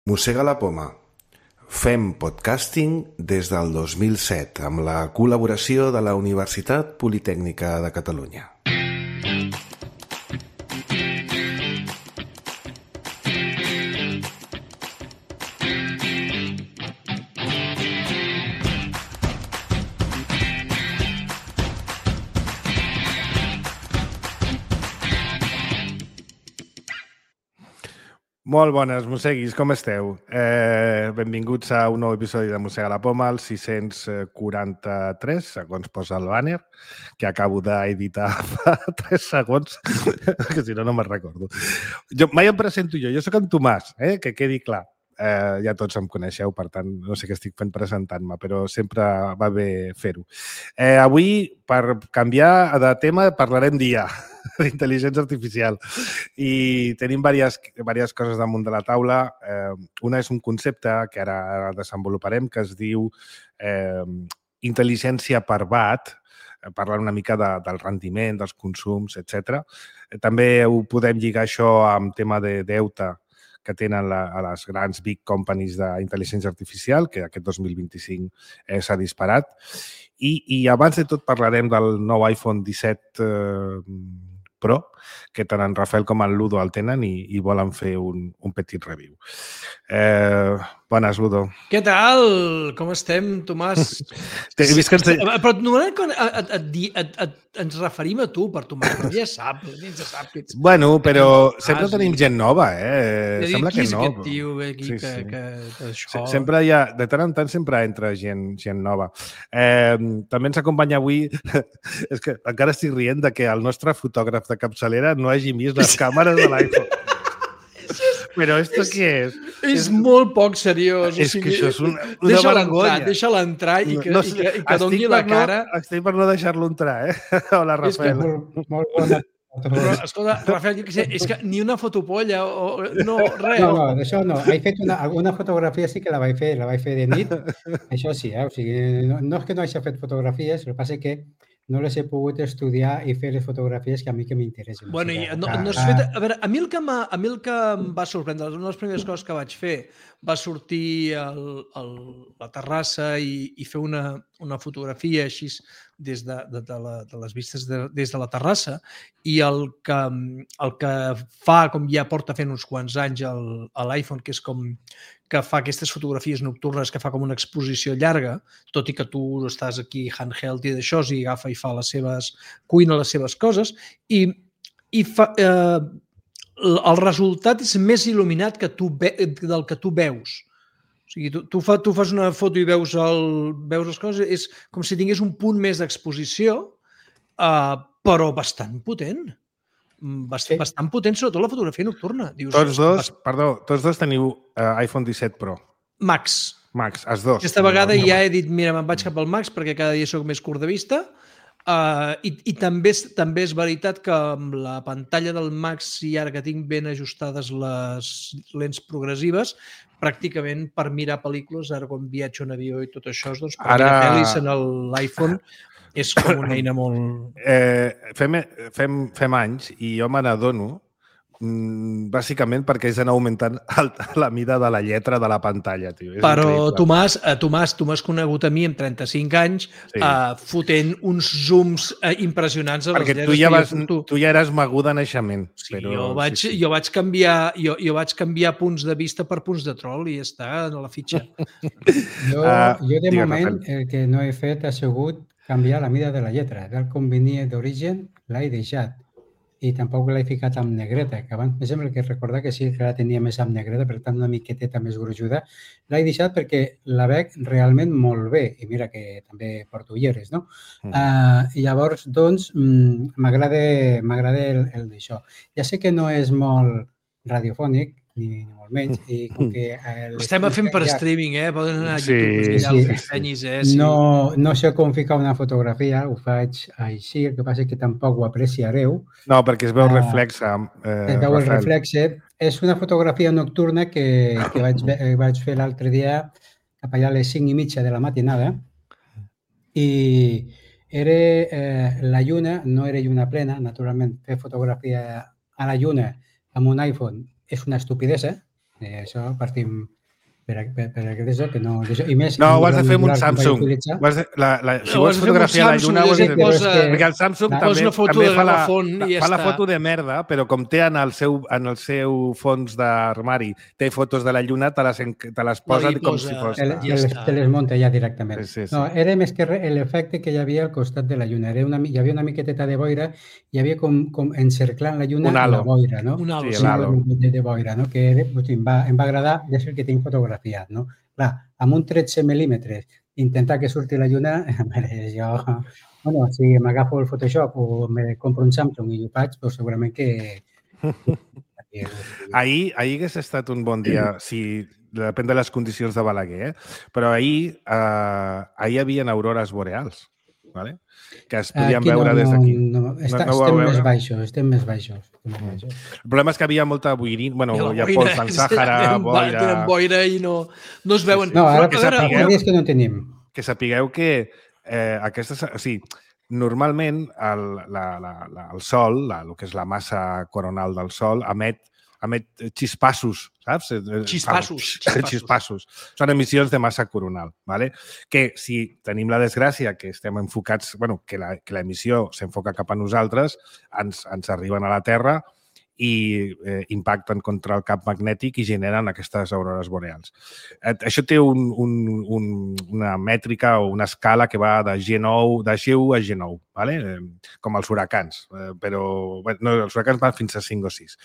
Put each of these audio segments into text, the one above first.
Mossega la poma. Fem podcasting des del 2007 amb la col·laboració de la Universitat Politècnica de Catalunya. Molt bones, mosseguis, com esteu? Benvinguts a un nou episodi de Mossega la Poma, el 643, segons posa el banner, que acabo d'editar fa 3 segons, que si no, no me'n recordo. Mai em presento jo soc en Tomàs, que quedi clar. Ja tots em coneixeu, per tant, no sé què estic fent presentant-me, però sempre va bé fer-ho. Avui, per canviar de tema, parlarem d'IA, d'intel·ligència artificial. I tenim diverses coses damunt de la taula. Una és un concepte que ara desenvoluparem, que es diu intel·ligència per watt, parlant una mica del rendiment, dels consums, etc. També ho podem lligar això amb tema de deute que tenen a les grans big companies d'intel·ligència artificial, que aquest 2025 s'ha disparat. I abans de tot parlarem del nou iPhone 17 Pro, que tant en Rafael com en Ludo el tenen i volen fer un petit review. Bones, Ludo. Què tal? Com estem, Tomàs? Però normalment quan ens referim a tu, per Tomàs, però ja sap que ets... Bueno, però sempre tenim gent nova, Sembla que no. Qui és aquest tio aquí que això... Sempre hi ha, de tant en tant sempre entra gent nova. També ens acompanya avui, és que encara estic rient de que el nostre fotògraf de capçalera no hagi vist les càmeres de l'iPhone. Però esto què és? És molt poc seriós. És que això és una vergonya. Deixa-la entrar i que doni la cara. Estic per no deixar-lo entrar, Hola, Rafael. Molt bona. Però, escolta, Rafael, jo què sé, és que ni una fotopolla o... No, res. No, d'això no. He fet alguna fotografia sí que la vaig fer de nit. Això sí, O sigui, no és que no hagi fet fotografies, el que passa és que no les he pogut estudiar i fer les fotografies que a mi que m'interessen. Bueno, no has fet... A veure, a mi el que em va sorprendre, una de les primeres coses que vaig fer va sortir a la terrassa i fer una fotografia així des de les vistes des de la terrassa, i el que fa, com ja porta fent uns quants anys a l'iPhone, que és com que fa aquestes fotografies nocturnes, que fa com una exposició llarga, tot i que tu estàs aquí handheld i d'això, i agafa i fa les seves... cuina les seves coses, i el resultat és més il·luminat del que tu veus. O sigui, tu fas una foto i veus les coses, és com si tingués un punt més d'exposició, però bastant potent. Bastant potent, sobretot la fotografia nocturna. Tots dos teniu iPhone 17 Pro. Max, els dos. Aquesta vegada ja he dit, mira, me'n vaig cap al Max perquè cada dia soc més curt de vista, i també és veritat que amb la pantalla del Max, i ara que tinc ben ajustades les lents progressives, pràcticament per mirar pel·lícules, ara quan viatjo en avió i tot això, doncs per mirar pel·lis en l'iPhone és com una eina molt... Fem anys i jo me n'adono bàsicament perquè és anar augmentant la mida de la lletra de la pantalla, tio. Però Tomàs, tu m'has conegut a mi amb 35 anys fotent uns zooms impressionants a les lletres. Perquè tu ja eres magú de naixement. Jo vaig canviar punts de vista per punts de troll i està a la fitxa. Jo de moment el que no he fet ha sigut canviar la mida de la lletra. Del com venia d'origen l'he deixat. I tampoc l'he ficat amb negreta, que abans em sembla que recordar que sí que la tenia més amb negreta, per tant una miqueteta més gruixuda. L'he deixat perquè la veig realment molt bé, i mira que també porto ulleres, no? I llavors, doncs, m'agrada el d'això. Ja sé que no és molt radiofònic, ni molt menys, i com que... Estem fent per streaming, Poden anar a YouTube i els dissenyis, No sé com ficar una fotografia, ho faig així, el que passa és que tampoc ho apreciareu. No, perquè es veu reflexe. Es veu el reflexe. És una fotografia nocturna que vaig fer l'altre dia cap allà a les 5:30 de la matinada, i era la lluna, no era lluna plena, naturalment fer fotografia a la lluna amb un iPhone és una estupidesa, Això partim per això que no... I més, no, ho has de fer amb un Samsung. Si vols fotografiar la Lluna, perquè el Samsung també fa la foto de merda, però com té en el seu fons d'armari, té fotos de la Lluna, te les posa com si fos... Te les munta ja directament. No, era més que l'efecte que hi havia al costat de la Lluna. Hi havia una miqueteta de boira, hi havia com encerclant la Lluna la boira, no? Un halo. Sí, l'halo de boira, no? Que em va agradar, és el que tinc fotografiat, no? Clar, amb un 13 mil·límetres, intentar que surti la Lluna, jo, bueno, si m'agafo el Photoshop o me compro un Samsung i ho faig, doncs segurament que... Ahir hagués estat un bon dia, si depèn de les condicions de Balaguer, però ahir hi havia aurores boreals, ¿vale? Que es podien veure des d'aquí. Estem més baixos. El problema és que havia molta boirina, bueno, hi ha pols del Sàhara, boira... Tenen boira i no es veuen. No, ara és que no tenim. Que sapigueu que aquestes... O sigui, normalment el Sol, el que és la massa coronal del Sol, emet xispassos, saps? Xispassos. Són emissions de massa coronal, ¿vale? Que si tenim la desgràcia que estem enfocats, bueno, que l'emissió s'enfoca cap a nosaltres, ens arriben a la Terra i impacten contra el camp magnètic i generen aquestes aurores boreals. Això té una mètrica o una escala que va de G1 a G9, ¿vale? Com els huracans, però no, els huracans van fins a 5 o 6.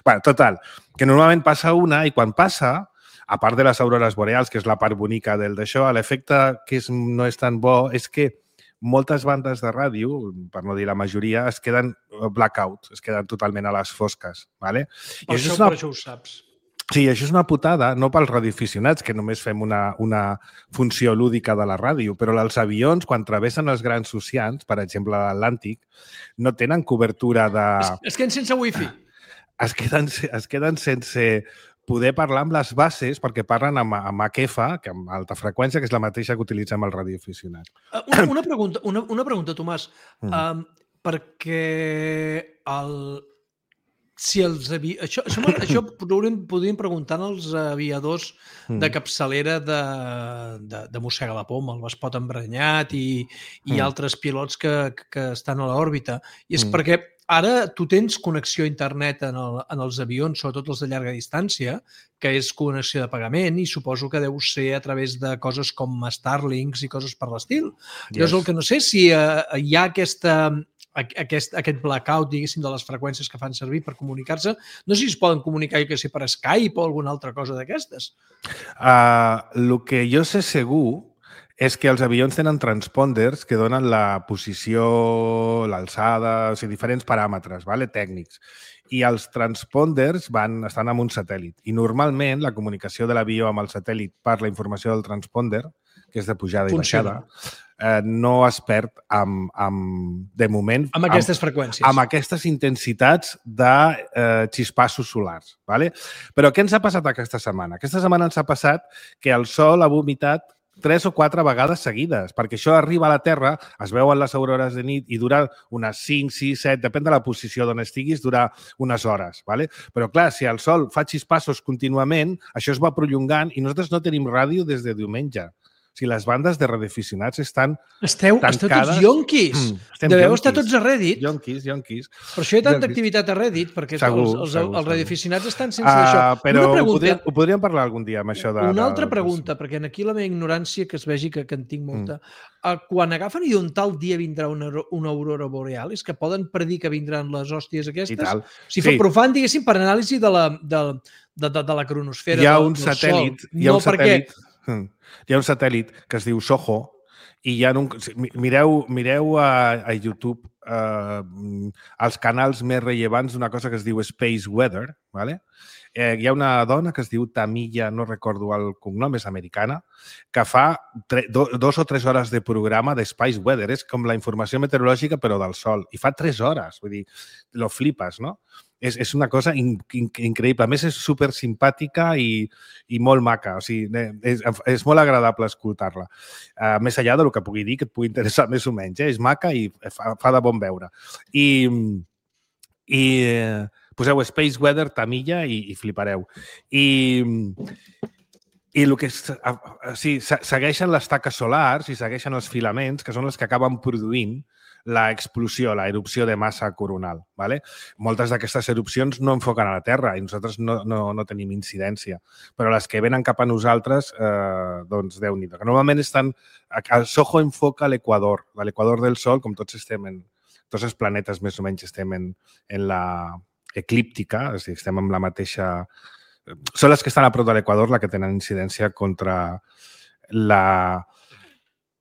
Bueno, total, que normalment passa una i quan passa, a part de les aurores boreals, que és la part bonica d'això, l'efecte que no és tan bo és que moltes bandes de ràdio, per no dir la majoria, es queden blackout, es queden totalment a les fosques. ¿Vale? Per això ho saps. Sí, això és una putada, no pels radioaficionats, que només fem una funció lúdica de la ràdio, però els avions, quan travessen els grans oceans, per exemple l'Atlàntic, no tenen cobertura de... Es queden sense wifi. Es queden sense poder parlar amb les bases perquè parlen amb HF, que amb alta freqüència, que és la mateixa que utilitzem el radioaficionat. Una pregunta, Tomàs. Perquè això podríem preguntar als aviadors de capçalera de Mossega la Poma, el Vespot Emprenyat i altres pilots que estan a l'òrbita. I és perquè ara tu tens connexió a internet en els avions, sobretot els de llarga distància, que és connexió de pagament i suposo que deu ser a través de coses com Starlinks i coses per l'estil. Llavors, el que no sé si hi ha aquest blackout, diguéssim, de les freqüències que fan servir per comunicar-se. No sé si es poden comunicar, per Skype o alguna altra cosa d'aquestes. El que jo sé segur és que els avions tenen transponders que donen la posició, l'alçada, o sigui, diferents paràmetres tècnics. I els transponders estan amb un satèl·lit. I normalment la comunicació de l'avió amb el satèl·lit per la informació del transponder, que és de pujada i baixada, no es perd de moment... Amb aquestes freqüències. Amb aquestes intensitats de xispassos solars. Però què ens ha passat aquesta setmana? Aquesta setmana ens ha passat que el Sol ha vomitat 3 o 4 vegades seguides, perquè això arriba a la Terra, es veuen les aurores de nit i dura unes 5, 6, 7, depèn de la posició d'on estiguis, dura unes hores. Però clar, si el Sol fa xispassos contínuament, això es va prolongant i nosaltres no tenim ràdio des de diumenge. O sigui, les bandes de radioaficionats estan tancades. Esteu tots yonquis. Deveu estar tots a Reddit. Yonquis. Per això hi ha tanta activitat a Reddit, perquè els radioaficionats estan sense d'això. Però ho podríem parlar algun dia amb això de... Una altra pregunta, perquè aquí la meva ignorància, que es vegi que en tinc molta. Quan agafen i un tal dia vindrà una aurora boreal, és que poden predir que vindran les hòsties aquestes? Però fan, diguéssim, per anàlisi de la cronosfera del Sol. Hi ha un satèl·lit que es diu SOHO i mireu a YouTube els canals més rellevants d'una cosa que es diu Space Weather. Hi ha una dona que es diu Tamilla, no recordo el cognom, és americana, que fa 2 o 3 hores de programa de Space Weather. És com la informació meteorològica però del Sol. I fa 3 hores. Vull dir, lo flipes, no? És una cosa increïble. A més, és super simpàtica i molt maca. O sigui, és molt agradable escoltar-la. Més enllà del que pugui dir, que et pugui interessar més o menys. És maca i fa de bon veure. I Poseu Space Weather Tamilla i flipareu. I el que segueixen les taques solars i segueixen els filaments, que són els que acaben produint l'explosió, la erupció de massa coronal. ¿vale? Moltes d'aquestes erupcions no enfoquen a la Terra i nosaltres no tenim incidència, però les que venen cap a nosaltres, doncs Déu-n'hi-do. Normalment estan... El SOHO enfoca l'equador del Sol, com tots els planetes més o menys estem en la eclíptica, és a dir, estem amb la mateixa... Són les que estan a prop de l'equador les que tenen incidència contra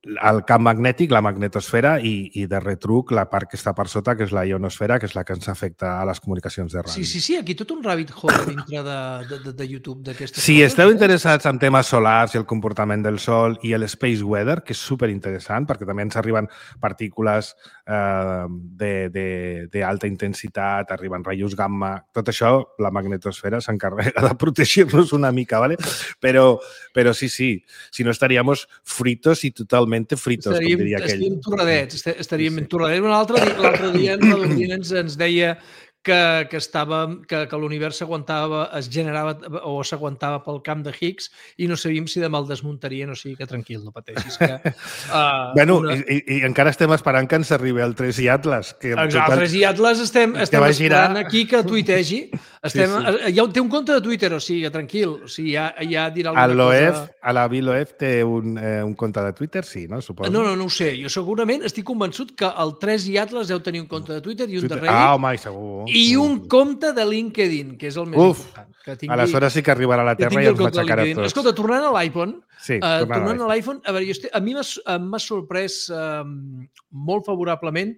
el camp magnètic, la magnetosfera i de retruc la part que està per sota, que és la ionosfera, que és la que ens afecta a les comunicacions de ràdio. Sí, aquí tot un rabbit hole dintre de YouTube d'aquestes Si esteu interessats en temes solars i el comportament del Sol i el space weather, que és superinteressant perquè també ens arriben partícules d'alta intensitat, arriben rajos gamma, tot això la magnetosfera s'encarrega de protegir-nos una mica, ¿vale? Però sí, si no estaríamos fritos i totalment fritos, com diria aquell. Estaríem entorradets. L'altre dia en Redondina ens deia que l'univers es generava o s'aguantava pel camp de Higgs i no sabíem si demà el desmuntarien, o sigui que tranquil, no pateixis. I encara estem esperant que ens arribi el 3i Atlas. El 3i Atlas estem esperant aquí que tuitegi. Ja té un compte de Twitter, o sigui, tranquil. Ja dirà alguna cosa... A la VILOEF té un compte de Twitter, sí, no? Suposo. No ho sé. Jo segurament estic convençut que el 3i Atlas deu tenir un compte de Twitter i un de Reddit. Home, segur. I un compte de LinkedIn, que és el més important. Aleshores sí que arribarà a la Terra i ens m'aixecarà tots. Escolta, tornant a l'iPhone, a veure, a mi m'ha sorprès molt favorablement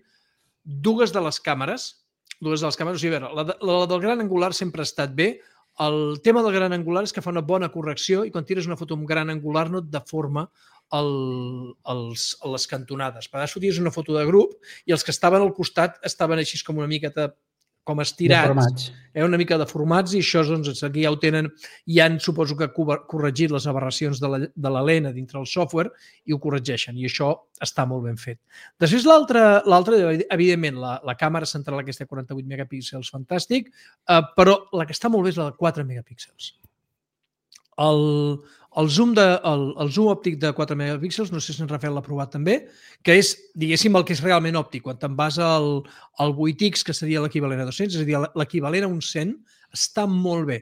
dues de les càmeres. O sigui, a veure, la del gran angular sempre ha estat bé. El tema del gran angular és que fa una bona correcció i quan tires una foto amb gran angular no et deforma les cantonades. Per tant, tires una foto de grup i els que estaven al costat estaven així com una miqueta com estirats, una mica deformats, i això, doncs, aquí ja ho tenen, ja han, suposo que, corregit les aberracions de la lent dintre el software i ho corregeixen, i això està molt ben fet. Després, l'altra, evidentment, la càmera central aquesta de 48 megapíxels, fantàstic, però la que està molt bé és la de 4 megapíxels. El zoom òptic de 4 megapíxels, no sé si en Rafael l'ha provat també, que és, diguéssim, el que és realment òptic. Quan te'n vas al 8X, que seria l'equivalent a 200, és a dir, l'equivalent a un 100, està molt bé.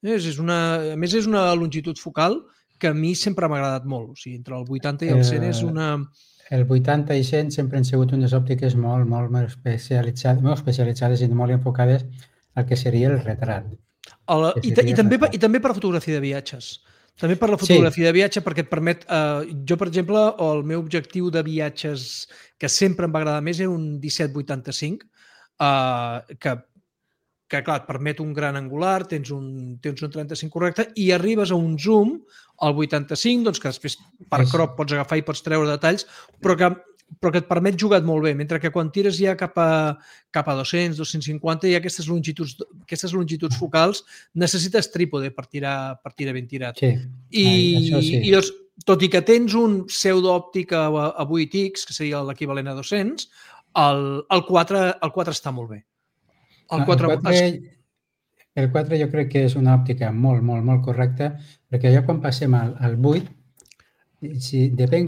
A més, és una longitud focal que a mi sempre m'ha agradat molt. O sigui, entre el 80 i el 100 és una... El 80 i 100 sempre han sigut unes òptiques molt especialitzades i molt enfocades al que seria el retrat. I també per fotografia de viatges. També per la fotografia de viatge, perquè et permet... Jo, per exemple, el meu objectiu de viatges que sempre em va agradar més era un 17-85, que clar, et permet un gran angular, tens un 35 correcte, i arribes a un zoom al 85, doncs que després per crop pots agafar i pots treure detalls, però que et permet jugar molt bé, mentre que quan tires ja cap a 200, 250, i aquestes longituds focals necessites trípode per tirar ben tirat. I doncs, tot i que tens un pseudoòptic a 8X, que seria l'equivalent a 200, el 4 està molt bé. El 4 jo crec que és una òptica molt correcta, perquè ja quan passem al 8,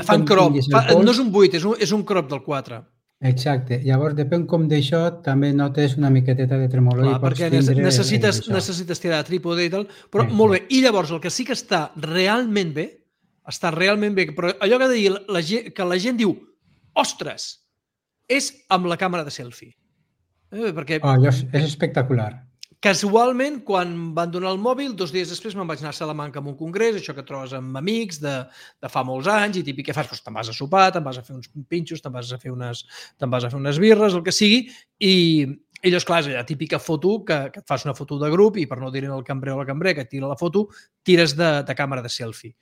fan crop, no és un 8, és un crop del 4. Exacte, llavors depèn com d'això també notes una miqueteta de tremolor. Clar, perquè necessites tirar trípode i tal, però molt bé. I llavors el que sí que està realment bé, però allò que ha de dir que la gent diu, ostres, és amb la càmera de selfie. És espectacular. Casualment, quan van donar el mòbil, 2 dies després me'n vaig anar a Salamanca a un congrés, això que trobes amb amics de fa molts anys, i típic que fas, te'n vas a sopar, te'n vas a fer uns pinxos, te'n vas a fer unes birres, el que sigui, i llavors, clar, és la típica foto que et fas una foto de grup i per no dir-ne al cambrer o la cambrer que et tira la foto, tires de càmera de selfie.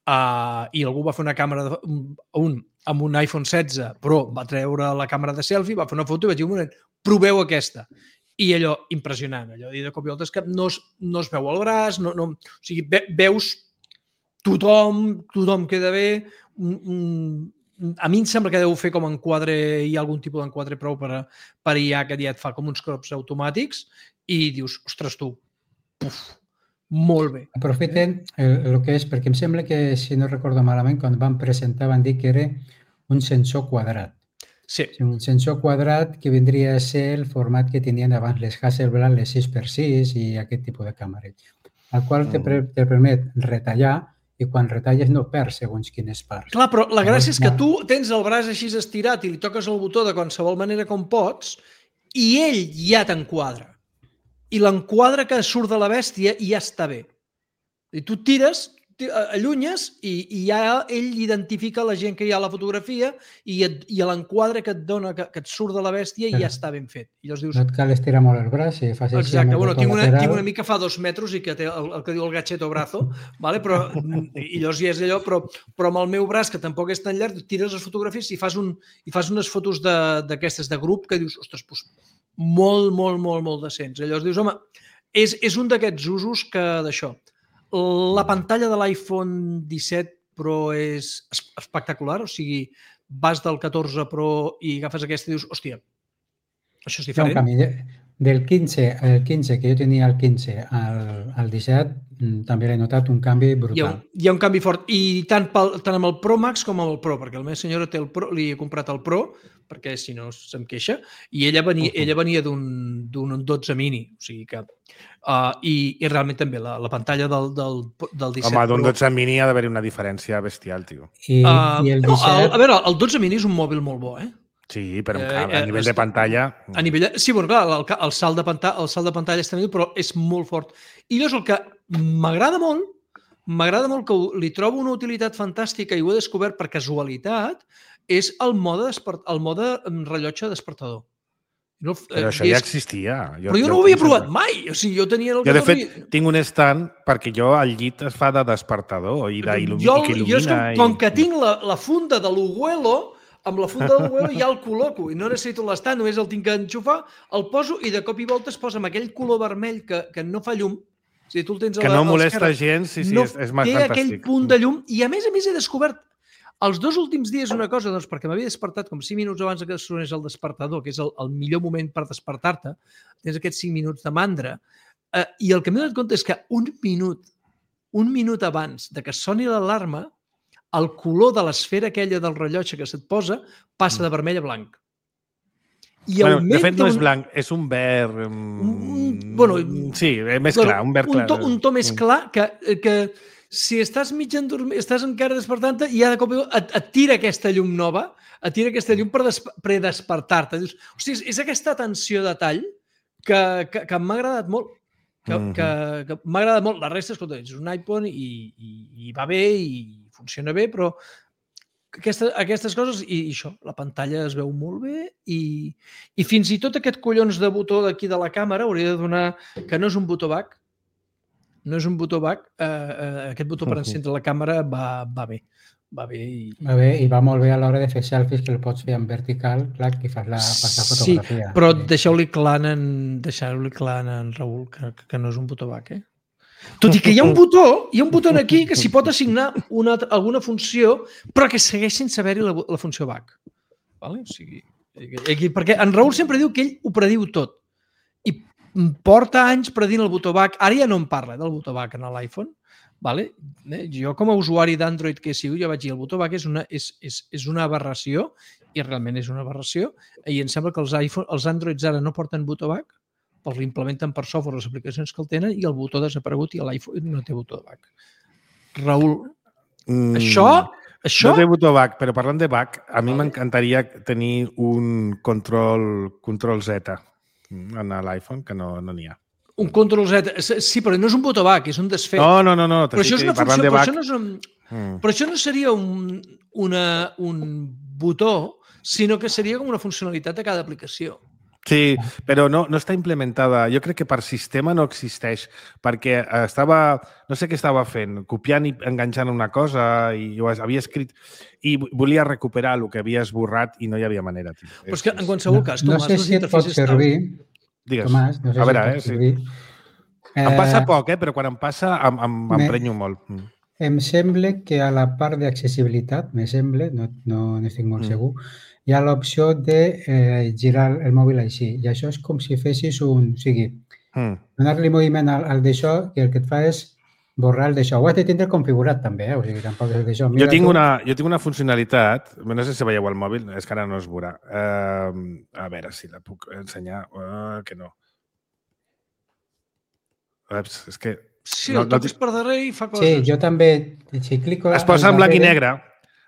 I algú va fer una càmera amb un iPhone 16 Pro, va treure la càmera de selfie, va fer una foto i vaig dir, un moment, proveu aquesta. I allò, impressionant, allò, de cop i volta és que no es veu el braç, o sigui, veus tothom queda bé, a mi em sembla que deu fer com enquadre, hi ha algun tipus d'enquadre prou per IA que ja et fa com uns crops automàtics, i dius, ostres, tu, puf, molt bé. Aprofiten el que és, perquè em sembla que, si no recordo malament, quan van presentar van dir que era un sensor quadrat. Sí. Un sensor quadrat que vindria a ser el format que tenien abans les Hasselblad, les 6x6 i aquest tipus de càmeres, el qual te permet retallar i quan retalles no perds segons quines parts. Clar, però la gràcia és que tu tens el braç així estirat i li toques el botó de qualsevol manera com pots i ell ja t'enquadra. I l'enquadre que surt de la bèstia ja està bé. I tu tires, allunyes i ja ell identifica la gent que hi ha a la fotografia i l'enquadre que et dona, que et surt de la bèstia ja està ben fet. I llavors dius... No et cal estirar molt el braç i fas així. Exacte, bueno, tinc una mica fa 2 metres i que té el que diu el gacheto brazo, vale? Però, i llavors ja és allò, però amb el meu braç, que tampoc és tan llarg, tires les fotografies i fas unes fotos d'aquestes de grup que dius, ostres, doncs, molt decents. Llavors dius, home, és un d'aquests usos que d'això. La pantalla de l'iPhone 17 Pro és espectacular, o sigui, vas del 14 Pro i agafes aquesta i dius, hòstia, això és diferent. Hi ha un canvi. Del 15, que jo tenia el 15 al 17, també l'he notat un canvi brutal. Hi ha un canvi fort, i tant amb el Pro Max com amb el Pro, perquè la meva senyora té el Pro, li he comprat el Pro, perquè si no se'm queixa, i ella venia d'un 12 mini, o sigui que... I realment també la pantalla del 17 Home, d'un 12 mini ha d'haver-hi una diferència bestial, tio. I el 17... A veure, el 12 mini és un mòbil molt bo, Sí, però a nivell de pantalla... Sí, bueno, clar, el salt de pantalla és tremendo, però és molt fort. I llavors el que m'agrada molt, que li trobo una utilitat fantàstica i ho he descobert per casualitat, és el mode rellotge despertador. Però això ja existia. Però jo no ho havia provat mai. O sigui, jo tenia... Jo, de fet, tinc un stand perquè jo al llit es fa de despertador i d'il·lumina. Com que tinc la funda de l'Uguelo, amb la funda del Uguelo ja el col·loco i no necessito l'estat, només el tinc que enxufar, el poso i de cop i volta es posa amb aquell color vermell que no fa llum. O sigui, tu el tens que no molesta gens, sí, és més fantàstic. Té aquell punt de llum i a més he descobert els 2 últims dies una cosa, doncs perquè m'havia despertat com 5 minuts abans que sonés el despertador, que és el millor moment per despertar-te, tens aquests 5 minuts de mandra, i el que m'he donat compte és que un minut abans de que soni l'alarma, el color de l'esfera aquella del rellotge que se't posa passa de vermell a blanc. De fet, no és blanc, és un verd... Sí, més clar, un verd clar. Un to més clar que si estàs mig endormit, estàs encara despertant-te i ja de cop et tira aquesta llum nova, et tira aquesta llum per predespertar-te. Dius, hòstia, és aquesta atenció de tall que m'ha agradat molt. Que m'ha agradat molt. La resta, escolta, és un iPhone i va bé i funciona bé, però aquestes coses i això, la pantalla es veu molt bé i fins i tot aquest collons de botó d'aquí de la càmera hauria de donar que no és un botó back, aquest botó per encendre la càmera va bé. Va bé i va molt bé a l'hora de fer selfies, que el pots fer en vertical, clar, que fas la fotografia. Sí, però deixeu-li clar en Raül que no és un botó back, Tot i que hi ha un botó aquí que s'hi pot assignar alguna funció, però que segueix sense haver-hi la funció back. Vale? O sigui, perquè en Raül sempre diu que ell ho prediu tot. I porta anys predint el botó back. Ara ja no em parla del botó back en l'iPhone. Vale? Jo, com a usuari d'Android que sigo, jo vaig dir el botó back és una aberració, i realment és una aberració, i em sembla que els Androids ara no porten botó back, els l'implementen per software les aplicacions que el tenen i el botó ha desaparegut i l'iPhone no té botó de back. Raül, això... No té botó back, però parlant de back, a mi m'encantaria tenir un control Z en l'iPhone, que no n'hi ha. Un control Z, sí, però no és un botó back, és un desfet. No. Però això és una funció, però això no seria un botó, sinó que seria com una funcionalitat de cada aplicació. Sí, però no està implementada. Jo crec que per sistema no existeix, perquè no sé què estava fent, copiant i enganxant una cosa i ho havia escrit i volia recuperar el que havia esborrat i no hi havia manera. Però és que en qualsevol cas, Tomàs, no sé si et pot servir. Digues. Tomàs, no sé a veure, si et pot servir. Em passa poc, però quan em passa m'emprenyo molt. Em sembla que a la part d'accessibilitat, no estic molt segur, hi ha l'opció de girar el mòbil així. I això és com si fessis o sigui, donar-li moviment al d'això i el que et fa és borrar el d'això. Ho has de tindre configurat també, o sigui, tampoc és d'això. Jo tinc una funcionalitat, no sé si veieu el mòbil, és que ara no es veurà. A veure si la puc ensenyar. Que no. És que... Sí, el toques per darrere i fa coses. Sí, jo també, si clico... Es posa en blanc i negre.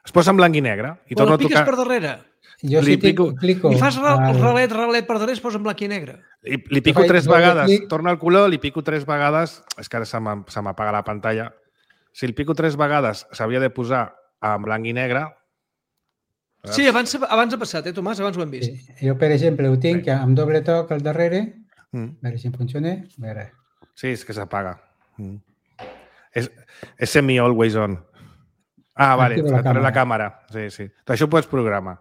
Es posa en blanc i negre. Però la piques per darrere. Jo si clico... I fas ralet per darrere, es posa en blanc i negre. Li pico 3 vegades, torna el color, li pico 3 vegades, és que ara se m'apaga la pantalla. Si el pico 3 vegades s'havia de posar en blanc i negre... Sí, abans ha passat, Tomàs? Abans ho hem vist. Jo, per exemple, ho tinc amb doble toc al darrere. A veure si em funciona. A veure. Sí, és que s'apaga. És semi-always on. Vale, la càmera. Sí. Això ho pots programar.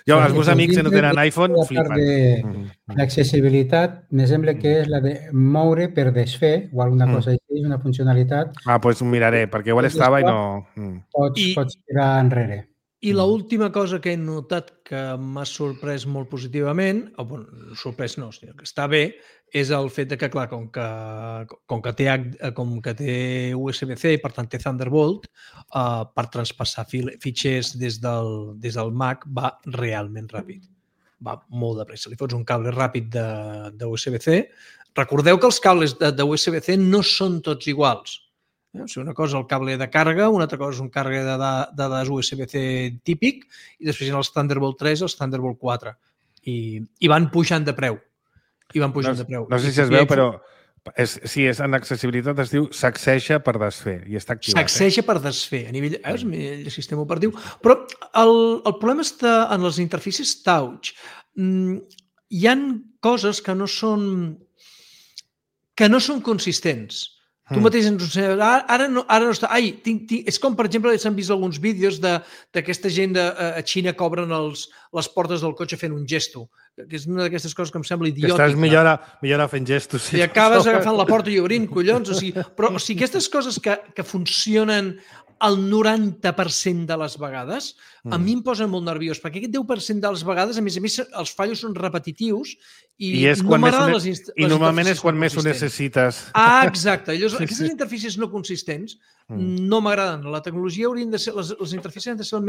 Jo, els meus amics que no tenen iPhone flipen. L'accessibilitat, me sembla que és la de moure per desfer o alguna cosa així, és una funcionalitat. Doncs ho miraré, perquè igual estava i no... Pots tirar enrere. I l'última cosa que he notat que m'ha sorprès molt positivament, sorprès no, sinó que està bé, és el fet que, clar, com que té USB-C i per tant té Thunderbolt, per traspassar fitxers des del Mac va realment ràpid. Va molt de pressa. Li fots un cable ràpid de USB-C. Recordeu que els cables de USB-C no són tots iguals. O sigui, una cosa és el cable de càrrega, una altra cosa és un càrrega de USB-C típic i després hi ha els Thunderbolt 3 i els Thunderbolt 4. I van pujant de preu. No sé si es veu, però si és en accessibilitat es diu sacseja per desfer i està activat. Sacseja per desfer, a nivell del sistema operatiu. Però el problema està en les interfícies touch. Hi ha coses que no són consistents. Tu mateix ens ho saps. Ara no està... És com, per exemple, s'han vist alguns vídeos d'aquesta gent a Xina que obren les portes del cotxe fent un gesto, que és una d'aquestes coses que em sembla idiòtica. Estàs millor fent gestos. I acabes agafant la porta i obrint, collons. Però aquestes coses que funcionen el 90% de les vegades, a mi em posen molt nerviós, perquè aquest 10% de les vegades, a més, els fallos són repetitius i no m'agraden les interfícies. I normalment és quan més ho necessites. Exacte. Aquestes interfícies no consistents no m'agraden. La tecnologia haurien de ser... Les interfícies han de ser el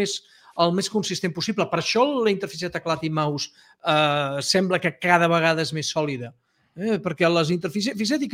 més consistent possible. Per això la interfície de teclat i mouse sembla que cada vegada és més sòlida. Perquè les interfícies... Fixa't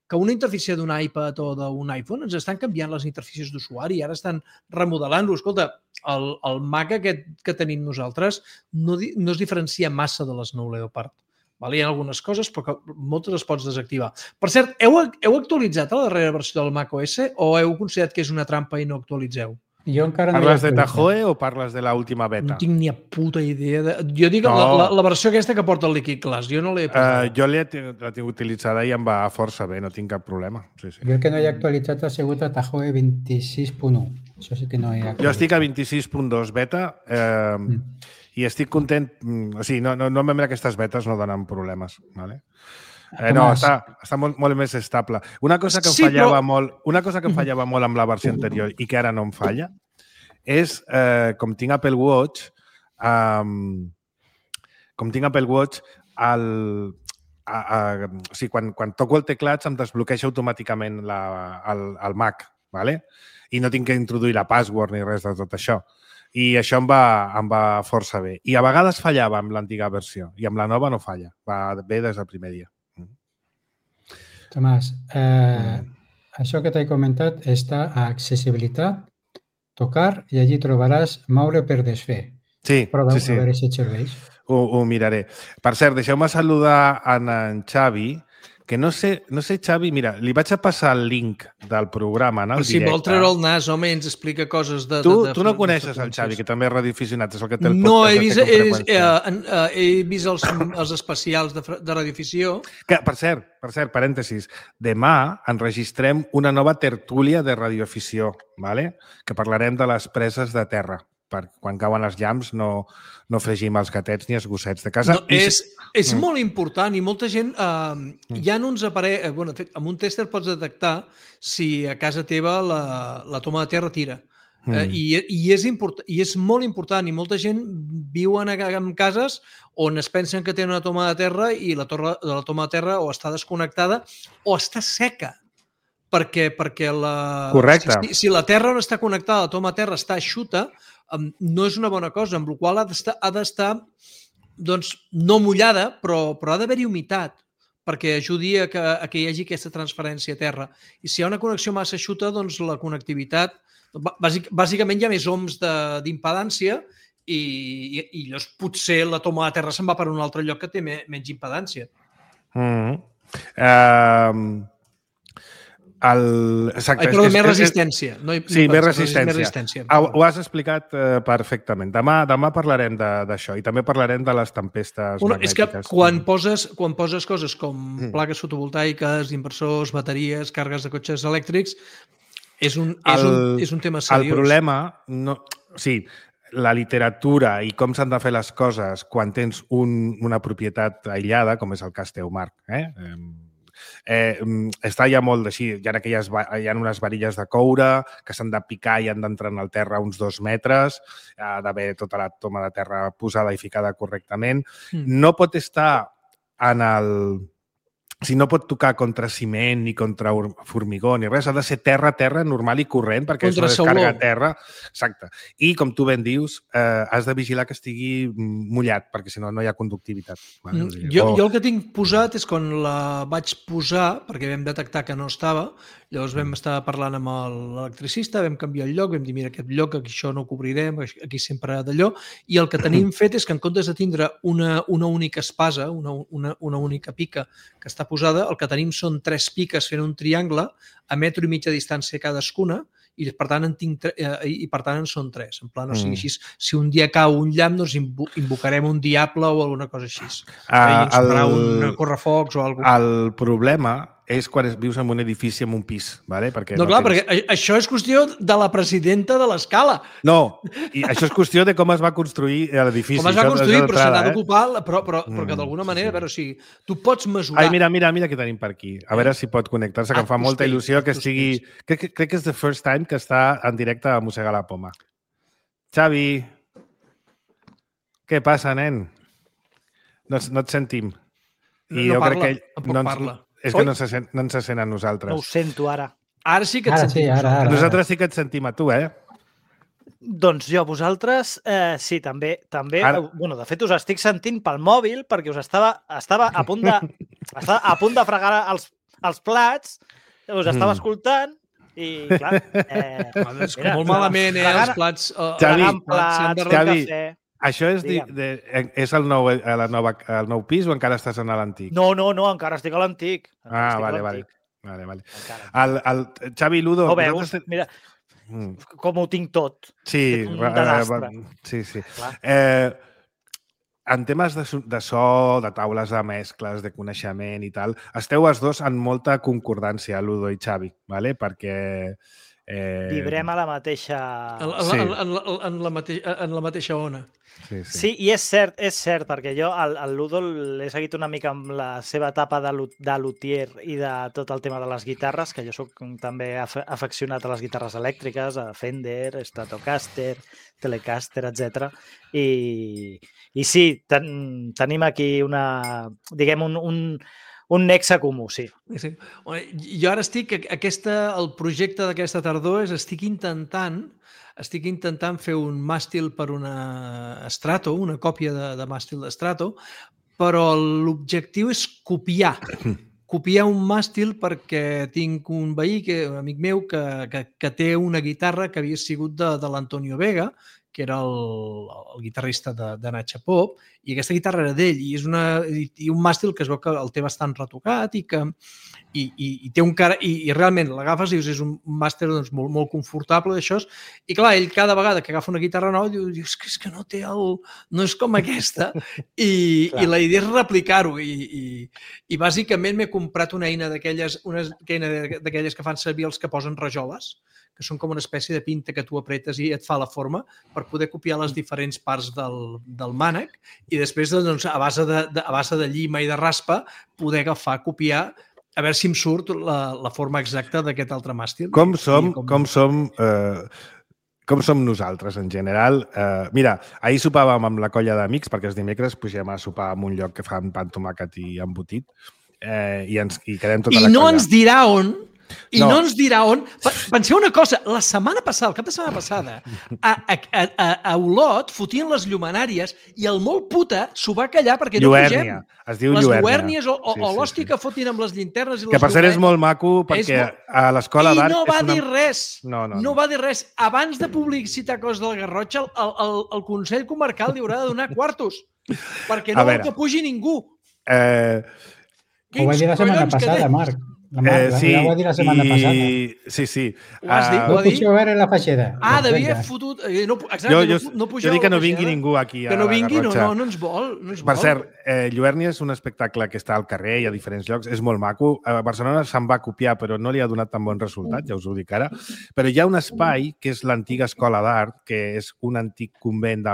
que una interfície d'un iPad o d'un iPhone ens estan canviant les interfícies d'usuari, ara estan remodelant-ho. Escolta, el Mac aquest que tenim nosaltres no es diferencia massa de les Nou Leopard. Hi ha algunes coses, però moltes les pots desactivar. Per cert, heu actualitzat la darrera versió del Mac OS o heu considerat que és una trampa i no actualitzeu? Jo encara no parles de Tahoe o parles de l'última beta? No tinc ni puta idea. Jo dic la versió aquesta que porta el Liquid Glass. Jo no l'he posat. Jo la tinc utilitzada i em va força bé, no tinc cap problema. Sí. Jo el que no he actualitzat ha sigut a Tahoe 26.1. Això sí que no he actualitzat. Jo estic a 26.2 beta i estic content. O sigui, normalment aquestes betes no donen problemes. Vale? No, està molt més estable. Una cosa que em fallava molt amb la versió anterior i que ara no em falla és, com tinc Apple Watch, quan toco el teclat se'm desbloqueja automàticament el Mac, ¿vale? I no tinc que introduir la password ni res de tot això. I això em va força bé. I a vegades fallava amb l'antiga versió i amb la nova no falla. Va bé des del primer dia. Tomàs, això que t'he comentat està a accessibilitat, tocar, i allí trobaràs moure per desfer. Sí. Prova a veure si et serveix. Ho miraré. Per cert, deixeu-me saludar en Xavi, que no sé, Xavi, mira, li vaig a passar el link del programa en el directe. Si vol treure el nas, home, ens explica coses de... Tu no coneixes el Xavi, que també és radioaficionat, és el que té el podcast. No, he vist els especials de radioafició. Per cert, parèntesis, demà enregistrem una nova tertúlia de radioafició, que parlarem de les preses de terra. Per quan cauen els llamps no fregim els gatets ni els gossets de casa. És molt important i molta gent... Hi ha uns aparells... Amb un tèster pots detectar si a casa teva la toma de terra tira. I és molt important, i molta gent viuen en cases on es pensen que tenen una toma de terra i la toma de terra o està desconnectada o està seca. Perquè Correcte. Si la terra on està connectada, la toma de terra està eixuta, no és una bona cosa, amb la qual cosa ha d'estar doncs, no mullada, però ha d'haver-hi humitat perquè ajudi a que hi hagi aquesta transferència a terra. I si hi ha una connexió massa eixuta, doncs la connectivitat, bàsicament hi ha més ohms d'impedància i llavors potser la toma de terra se'n va per un altre lloc que té menys impedància. Però més resistència. Sí, més resistència. Ho has explicat perfectament. Demà parlarem d'això i també parlarem de les tempestes magnètiques. És que quan poses coses com plaques fotovoltaiques, inversors, bateries, càrregues de cotxes elèctrics, és un tema seriós. El problema... Sí, la literatura i com s'han de fer les coses quan tens una propietat aïllada, com és el cas teu, Marc, està ja molt així, hi ha unes varilles de coure que s'han de picar i han d'entrar en el terra uns 2 metres, ha d'haver tota la toma de terra posada i ficada correctament. No pot estar en el... Si no pot tocar contra ciment ni contra formigó ni res, ha de ser terra normal i corrent perquè és una descàrrega a terra. Exacte. I, com tu ben dius, has de vigilar que estigui mullat perquè si no, no hi ha conductivitat. Jo el que tinc posat és quan la vaig posar, perquè vam detectar que no estava, llavors vam estar parlant amb l'electricista, vam canviar el lloc, vam dir, mira, aquest lloc, aquí això no ho cobrirem, aquí sempre d'allò, i el que tenim fet és que en comptes de tindre una única espasa, una única pica que està posada, el que tenim són 3 piques fent un triangle a 1,5 metres de distància cadascuna i per tant en són 3. En plan, o sigui, així, si un dia cau un llamp, doncs invocarem un diable o alguna cosa així. I ens farà un correfocs o alguna cosa. El problema és quan vius en un edifici amb un pis, ¿vale? Perquè perquè això és qüestió de la presidenta de l'escala. No, i això és qüestió de com es va construir l'edifici. Com es va construir, però se n'ha d'ocupar, però que d'alguna manera, a veure, o sigui, tu pots mesurar... Ai, mira què tenim per aquí. A veure si pot connectar-se, que em fa molta il·lusió que estigui... Crec que és the first time que està en directe a Mossegar la Poma. Xavi, què passa, nen? No et sentim. No parla, tampoc parla. És que no ens se sent a nosaltres. No ho sento ara. Ara sí que et sentim. Ara. Nosaltres sí que et sentim a tu, Doncs jo, vosaltres, sí, també. Bueno, de fet, us estic sentint pel mòbil perquè us estava a punt de fregar els plats, us estava escoltant i, clar... És que molt malament, els plats... Xavi, això és el nou pis o encara estàs en l'antic? No, encara estic a l'antic. Vale. El Xavi Ludo... No veus? Mira, com ho tinc tot. Sí. Sí. En temes de so, de taules de mescles, de coneixement i tal, esteu els dos en molta concordància, Ludo i Xavi, ¿vale? Perquè... Vibrem a la mateixa... En la mateixa ona. Sí, i és cert, perquè jo el Ludo l'he seguit una mica amb la seva etapa de luthier i de tot el tema de les guitarres, que jo soc també afeccionat a les guitarres elèctriques, a Fender, Stratocaster, Telecaster, etc. I sí, tenim aquí un nexe comú, sí. Jo ara el projecte d'aquesta tardor estic intentant fer un màstil per una Strato, una còpia de màstil de Strato, però l'objectiu és copiar un màstil perquè tinc un veí, un amic meu, que té una guitarra que havia sigut de l'Antonio Vega, que era el guitarrista de Nacha Pop, i aquesta guitarra era d'ell, i un màstil que es veu que el té bastant retocat i té un cara, i realment l'agafes i dius, és un màstil molt, molt confortable d'això, i clar, ell cada vegada que agafa una guitarra nova diu, és que no té no és com aquesta, i la idea és replicar-ho, i bàsicament m'he comprat una eina d'aquelles que fan servir els que posen rajoles, que són com una espècie de pinta que tu apretes i et fa la forma per poder copiar les diferents parts del mànec i després, doncs, a base de llima i de raspa, poder agafar, copiar, a veure si em surt la forma exacta d'aquest altre màstil. Com som com som nosaltres en general. Mira, ahir sopàvem amb la colla d'amics, perquè els dimecres pugem a sopar en un lloc que fan pa amb tomàquet i embotit, i quedem tota la colla. I no ens dirà on... I no ens dirà on... Penseu una cosa, la setmana passada, el cap de setmana passada, a Olot fotien les llumenàries i el molt puta s'ho va callar perquè no pugem. Es diu les lluèrnia. O l'hòstia que fotin amb les llinternes i les que per cert és molt maco perquè a l'escola d'art... I no va dir res. No va dir res. Abans de publicitar coses del Garrotxa, el Consell Comarcal li haurà de donar quartos perquè no vol que pugi ningú. Ho va dir la setmana passada, Marc. La va dir la setmana passada. Sí. Ho has dit? No puc veure la feixeda. Devia fotut... No jo dic que no vingui ningú aquí a la Garrotxa. Que no vingui, no ens vol. Per cert, Lluèrnia és un espectacle que està al carrer i a diferents llocs. És molt maco. A Barcelona se'n va copiar, però no li ha donat tan bon resultat, ja us ho dic ara. Però hi ha un espai, que és l'antiga escola d'art, que és un antic convent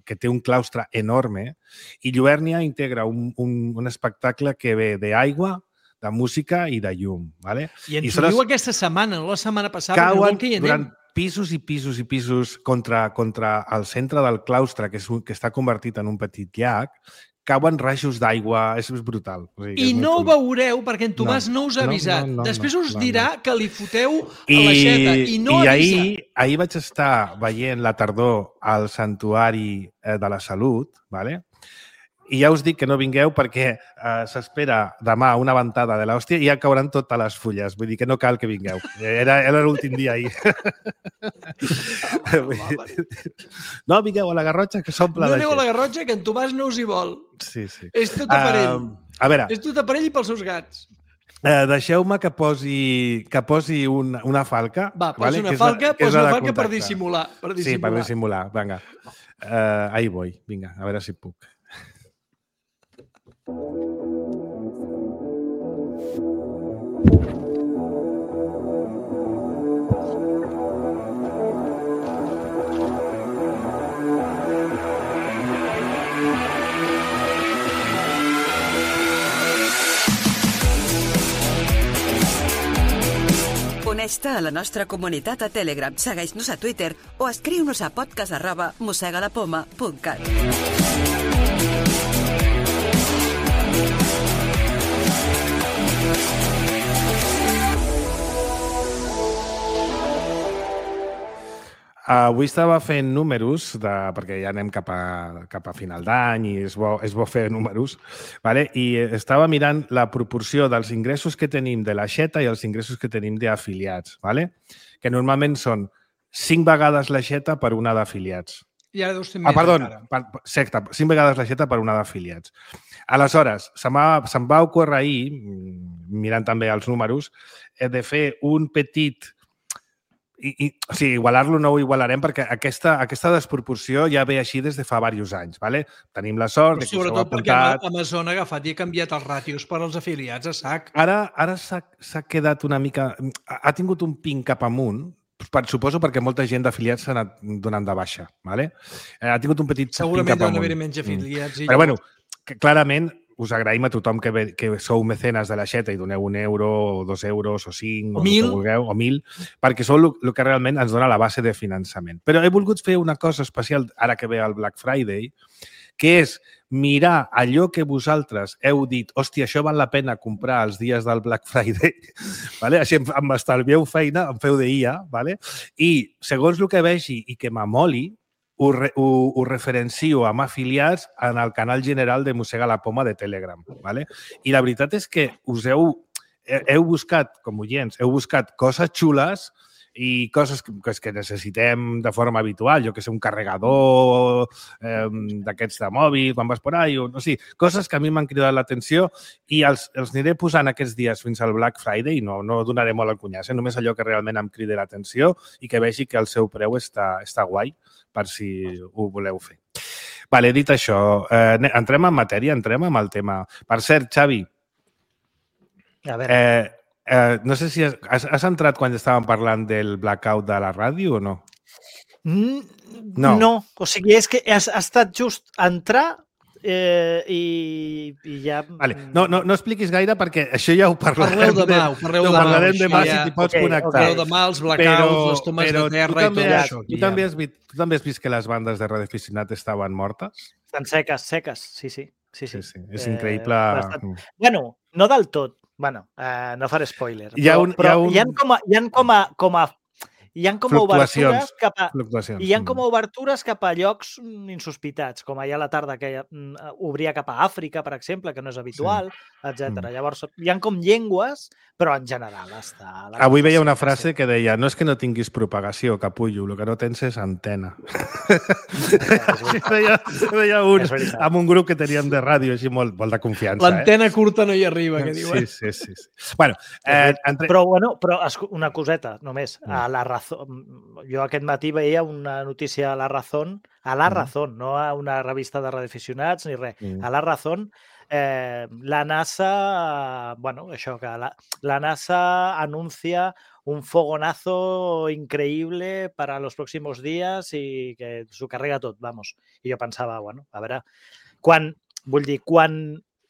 que té un claustre enorme, i Lluèrnia integra un espectacle que ve d'aigua, de música i de llum. Vale? I ens ho diu aquesta setmana, no la setmana passada. Cauen durant pisos i pisos i pisos contra el centre del claustre, que està convertit en un petit llac, cauen rajos d'aigua, és brutal. I no ho veureu perquè en Tomàs no us ha avisat. Després us dirà que li foteu a l'aixeta i no avisa. Ahir vaig estar veient la tardor al Santuari de la Salut, ¿vale? I ja us dic que no vingueu perquè s'espera demà una ventada de l'hòstia i ja cauran totes les fulles. Vull dir que no cal que vingueu. Era l'últim dia ahir. No vingueu a la Garrotxa, que s'omple de gent. No aneu a la Garrotxa, que en Tomàs no us hi vol. Sí. És tot a per ell. A veure. És tot a per ell i pels seus gats. Deixeu-me que posi una falca. Va, posa una falca per dissimular. Sí, per dissimular. Vinga. Ahí voy. Vinga, a veure si puc. Uneix-te a la nostra comunitat a Telegram, segueix-nos a Twitter o escriu-nos a podcast@mosegalapoma.cat. Avui estava fent números, perquè ja anem cap a final d'any i és bo fer números, vale? I estava mirant la proporció dels ingressos que tenim de l'aixeta i els ingressos que tenim d'afiliats, vale? Que normalment són 5 vegades l'aixeta per una d'afiliats. I ara deus ser més encara. 5 vegades l'aixeta per una d'afiliats. Aleshores, se'm va ocórrer ahir, mirant també els números, de fer un petit... O sigui, igualar-lo no ho igualarem perquè aquesta desproporció ja ve així des de fa diversos anys. ¿vale? Tenim la sort de que us heu apuntat... Sobretot perquè Amazon ha agafat i ha canviat els ràtios per als afiliats a sac. Ara s'ha quedat una mica... Ha tingut un ping cap amunt, suposo perquè molta gent d'afiliats s'ha anat donant de baixa. ¿vale? Ha tingut un petit ping cap amunt. Segurament deuen haver-hi menys afiliats. Però bueno, clarament us agraïm a tothom que sou mecenes de l'aixeta i doneu €1 o 2 euros o 5 o 1.000 o vulgueu, o 1.000, perquè sou el que realment ens dona la base de finançament. Però he volgut fer una cosa especial ara que ve el Black Friday, que és mirar allò que vosaltres heu dit, hòstia, això val la pena comprar els dies del Black Friday, ¿vale? Així em estalvieu feina, em feu d'IA, ¿vale? I segons el que vegi i que m'amoli, ho referencio amb afiliats en el canal general de Mossega la Poma de Telegram. ¿vale? I la veritat és que heu buscat, com oients, heu buscat coses xules i coses que necessitem de forma habitual, jo que sé, un carregador d'aquests de mòbil, quan vas por ahí, o no sé, coses que a mi m'han cridat l'atenció i els aniré posant aquests dies fins al Black Friday i no donaré molt el cunyàs, només allò que realment em crida l'atenció i que vegi que el seu preu està guai per si ho voleu fer. Vale, dit això, entrem en matèria, entrem en el tema. Per cert, Xavi, a veure. No sé si has entrat quan estàvem parlant del blackout de la ràdio o no? No. O sigui, és que has estat just entrar i ja... Vale. No expliquis gaire perquè això ja ho parlarem. Parlarem demà si t'hi pots connectar. Parleu demà, els blackouts, les tomes de terra i tot això. Tu també has vist que les bandes de radioaficionat estaven mortes? Estan seques, sí. És increïble. Bueno, no del tot. Bueno, no faré spoiler. Hi ha com a obertures cap a... Hi ha com a obertures cap a llocs insospitats, com ahir a la tarda que obria cap a Àfrica, per exemple, que no és habitual, etc. Llavors, hi ha com llengües, però en general està... Avui veia una frase que deia no és que no tinguis propagació, capullo, el que no tens és antena. Veia un amb un grup que teníem de ràdio, així molt de confiança. L'antena curta no hi arriba, que diuen. Sí. Bueno, però una coseta, només. A la jo aquest matí veia una notícia a La Razón, no a una revista de radioaficionats ni res, a La Razón, la NASA, això, que la NASA anuncia un fogonazo increíble para los próximos días y que s'ho carrega tot, vamos. I jo pensava, a veure, quan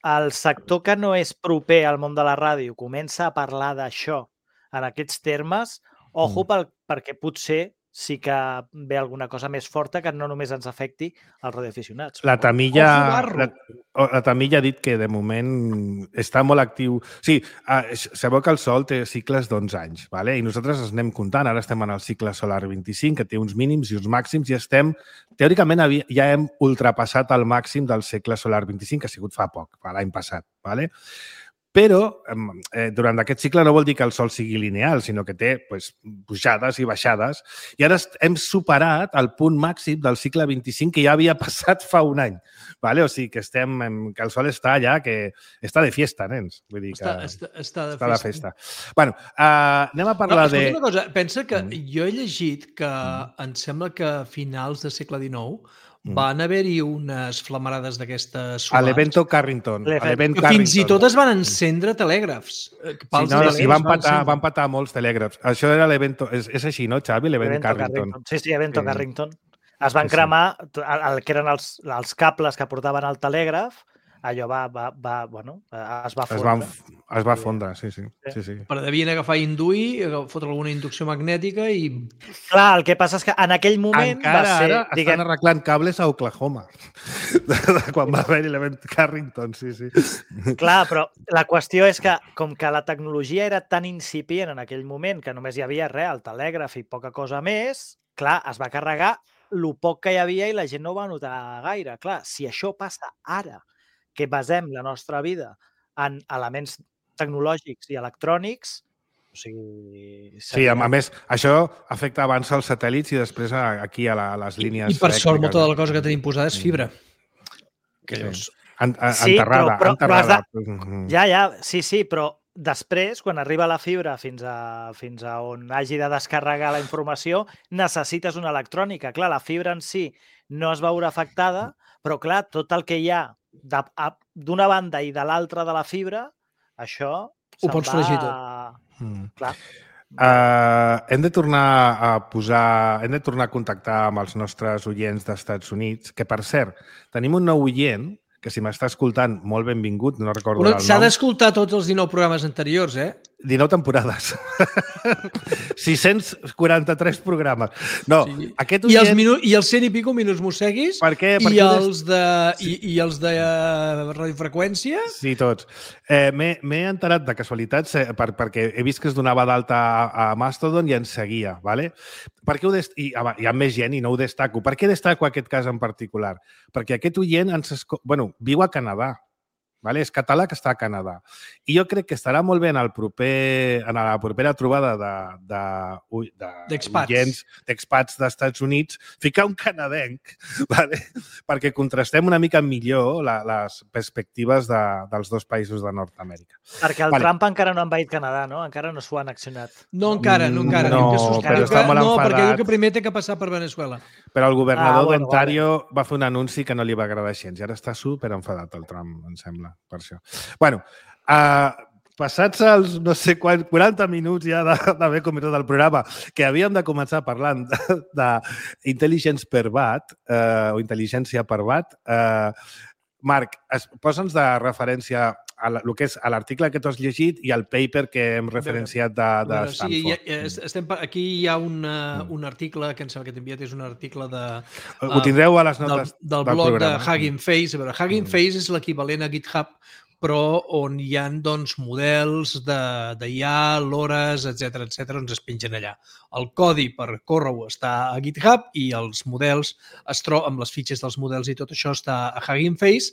el sector que no és proper al món de la ràdio comença a parlar d'això en aquests termes, ojo, perquè potser sí que ve alguna cosa més forta que no només ens afecti als radioaficionats. La Tamilla ha dit que de moment està molt actiu. Sí, sabeu que el Sol té cicles d'11 anys, vale? I nosaltres els anem comptant. Ara estem en el cicle solar 25, que té uns mínims i uns màxims, i estem, teòricament, ja hem ultrapassat el màxim del cicle solar 25, que ha sigut fa poc, l'any passat, vale? Però durant aquest cicle no vol dir que el Sol sigui lineal, sinó que té pujades i baixades. I ara hem superat el punt màxim del cicle 25 que ja havia passat fa un any. O sigui que el Sol està allà, que està de fiesta, nens. Vull dir que està de festa. Bueno, anem a parlar de... Escolta una cosa, pensa que jo he llegit que em sembla que a finals del segle XIX van haver-hi unes flamarades d'aquestes solars. A l'Evento Carrington. Que fins i tot es van encendre telègrafs. Sí, van patar molts telègrafs. Això era l'Evento... És així, no, Xavi? L'Evento Carrington. Sí, Evento Carrington. Es van cremar el que eren els cables que portaven al telègraf. Allò es va fondre. Es va fondre, sí. Però devien agafar i induir, fotre alguna inducció magnètica i... Clar, el que passa és que en aquell moment encara va ser... Encara ara estan arreglant cables a Oklahoma. Quan va haver-hi l'Event Carrington, sí. Clar, però la qüestió és que, com que la tecnologia era tan incipient en aquell moment que només hi havia el telègraf i poca cosa més, clar, es va carregar el poc que hi havia i la gent no ho va notar gaire. Clar, si això passa ara, que basem la nostra vida en elements tecnològics i electrònics, o sigui... Sí, a més, això afecta abans als satèl·lits i després aquí a les línies... I per sort, molta de la cosa que tenim posada és fibra. Enterrada. Sí, però després, quan arriba la fibra fins a on hagi de descarregar la informació, necessites una electrònica. Clar, la fibra en si no es veurà afectada, però clar, tot el que hi ha d'una banda i de l'altra de la fibra, això ho pots fregir tot. Clar. Hem de tornar a contactar amb els nostres oients d'Estats Units, que per cert, tenim un nou oient que si m'està escoltant, molt benvingut, no recordo el nom. S'ha d'escoltar tots els 19 programes anteriors, 19 temporades. 643 programes. No, sí. Aquest oient... I els 100 i pico minuts mosseguis i els de radiofreqüència. Sí, tots. M'he enterat de casualitats perquè he vist que es donava d'alta a Mastodon i ens seguia, ¿vale? Hi ha més gent i no ho destaco. Per què destaco aquest cas en particular? Perquè aquest oient viu a Canadà. Vale? És català que està a Canadà. I jo crec que estarà molt bé en la propera trobada d'expats d'Estats Units ficar un canadenc, vale? Perquè contrastem una mica millor les perspectives dels dos països de Nord-Amèrica. Perquè el Trump encara no ha envaït Canadà, no? Encara no s'ho ha annexionat. No, encara. No, però està molt enfadat. Perquè diu que primer té que passar per Venezuela. Però el governador d'Ontario va fer un anunci que no li va agradar gens i ara està super enfadat el Trump, em sembla. Per això. Bueno, passats els, no sé quants, 40 minuts ja d'haver començat el programa, que havíem de començar parlant d'intel·ligència per watt, o intel·ligència per watt, Marc, posa'ns de referència a el que és a l'article que tu has llegit i al paper que hem referenciat de Stanford. Aquí hi ha un article que em sembla que t'he enviat, és un article ho tindreu a les notes del blog de Hugging Face. A veure, Hugging Face és l'equivalent a GitHub, però on hi ha doncs, models d'IA, l'hores, etc on es pengen allà. El codi per córrer-ho està a GitHub i els models es troben, amb les fitxes dels models i tot això està a Hugging Face.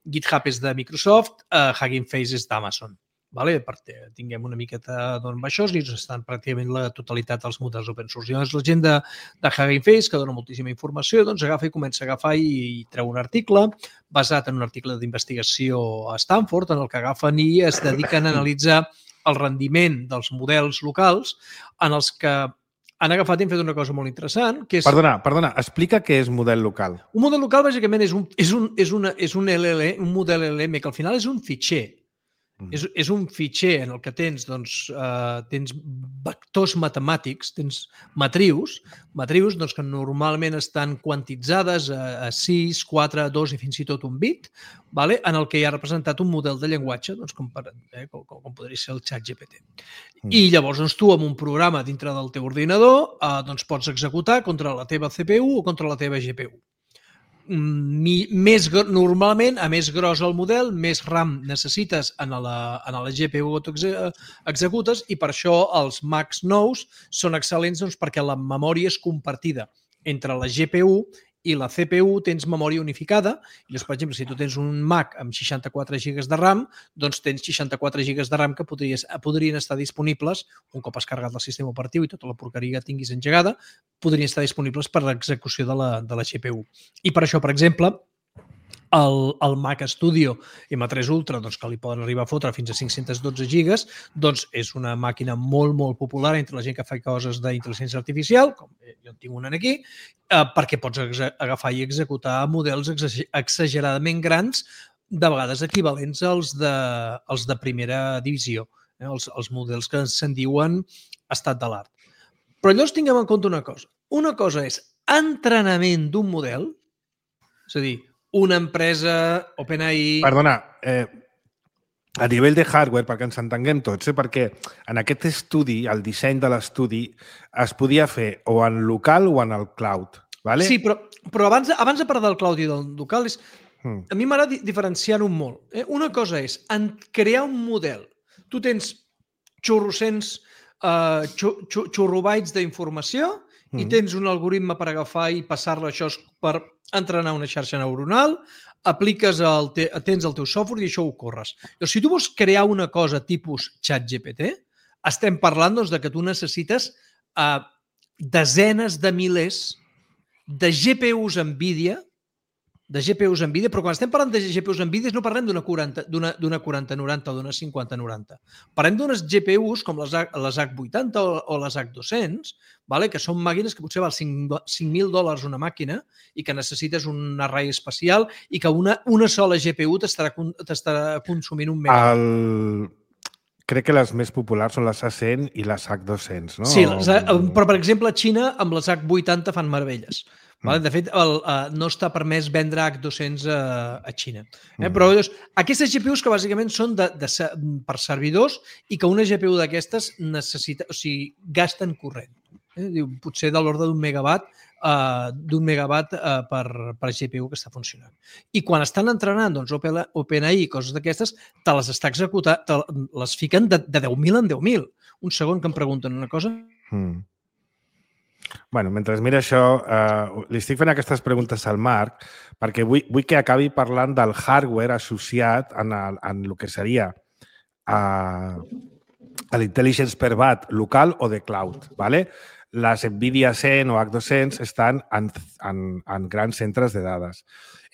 GitHub és de Microsoft, Hugging Face és d'Amazon. Perquè tinguem una miqueta d'on va això i estan pràcticament la totalitat dels models open source. Llavors, la gent de Hugging Face, que dona moltíssima informació, doncs agafa i comença a agafar i treu un article basat en un article d'investigació a Stanford, en el que agafen i es dediquen a analitzar el rendiment dels models locals en els que han agafat i han fet una cosa molt interessant, que és... Perdona, explica què és model local. Un model local, bàsicament, és un LLM, un model LLM, que al final és un fitxer. És un fitxer en el que tens vectors matemàtics, tens matrius que normalment estan quantitzades a 6, 4, 2 i fins i tot un bit, en el que hi ha representat un model de llenguatge, com podria ser el ChatGPT. I llavors tu amb un programa dintre del teu ordinador pots executar contra la teva CPU o contra la teva GPU. Normalment, a més gros el model, més RAM necessites en la GPU que tu executes i per això els Macs nous són excel·lents perquè la memòria és compartida entre la GPU i la CPU, tens memòria unificada. Llavors, per exemple, si tu tens un Mac amb 64 GB de RAM, doncs tens 64 GB de RAM que podrien estar disponibles, un cop has carregat el sistema operatiu i tota la porqueria que tinguis engegada, podrien estar disponibles per l'execució de la GPU. I per això, per exemple, el Mac Studio M3 Ultra, que li poden arribar a fotre fins a 512 gigas, doncs és una màquina molt, molt popular entre la gent que fa coses d'intel·ligència artificial, com jo en tinc una aquí, perquè pots agafar i executar models exageradament grans, de vegades equivalents als de primera divisió, els models que se'n diuen estat de l'art. Però llavors tinguem en compte una cosa. Una cosa és entrenament d'un model, és a dir, una empresa, OpenAI... Perdona, a nivell de hardware, perquè ens entenguem tots, perquè en aquest estudi, el disseny de l'estudi, es podia fer o en local o en el cloud. ¿Vale? Sí, però abans de parlar del cloud i del local, a mi m'agrada diferenciar-ho molt. Una cosa és crear un model. Tu tens xurrobytes d'informació i tens un algoritme per agafar i passar-lo això per entrenar una xarxa neuronal, tens el teu software i això ho corres. Si tu vols crear una cosa tipus ChatGPT, estem parlant de que tu necessites desenes de milers de GPUs NVIDIA, però quan estem parlant de GPUs NVIDIA no parlem d'una 4090 o d'una 5090. Parlem d'unes GPUs com les H80 o les H200, que són màquines que potser val $5.000 una màquina i que necessites un array especial i que una sola GPU t'estarà consumint un megabyte. Crec que les més populars són les A100 i les H200, no? Sí, però per exemple a Xina amb les H80 fan meravelles. De fet, no està permès vendre H200 a Xina. Però aquestes GPUs que bàsicament són per servidors i que una GPU d'aquestes gasten corrent. Potser de l'ordre d'un megawatt per GPU que està funcionant. I quan estan entrenant OpenAI i coses d'aquestes, te les està executant, les fiquen de 10.000 en 10.000. Un segon que em pregunten una cosa. Bueno, mentre mira això, li estic fent aquestes preguntes al Marc perquè vull que acabi parlant del hardware associat en el que seria l'intelligence per watt local o de cloud. Les NVIDIA 100 o H200 estan en grans centres de dades.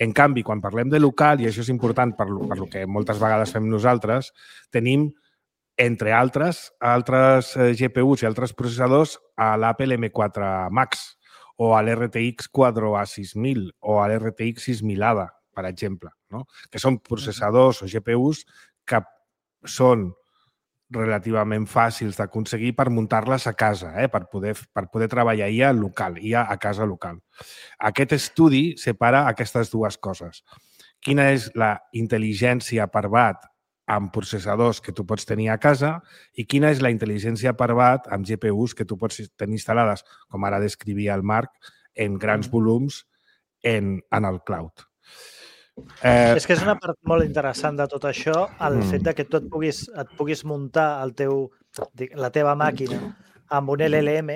En canvi, quan parlem de local, i això és important per lo que moltes vegades fem nosaltres, tenim entre altres GPUs i altres processadors a l'Apple M4 Max o a l'RTX 4A6000 o a l'RTX 6000 ADA, per exemple, que són processadors o GPUs que són relativament fàcils d'aconseguir per muntar-les a casa, per poder treballar ja a casa local. Aquest estudi separa aquestes dues coses. quina és la intel·ligència per watt amb processadors que tu pots tenir a casa i quina és la intel·ligència per watt amb GPUs que tu pots tenir instal·lades, com ara descrivia el Marc, en grans volums en el cloud. És que és una part molt interessant de tot això, el fet de que tu et puguis muntar la teva màquina amb un LLM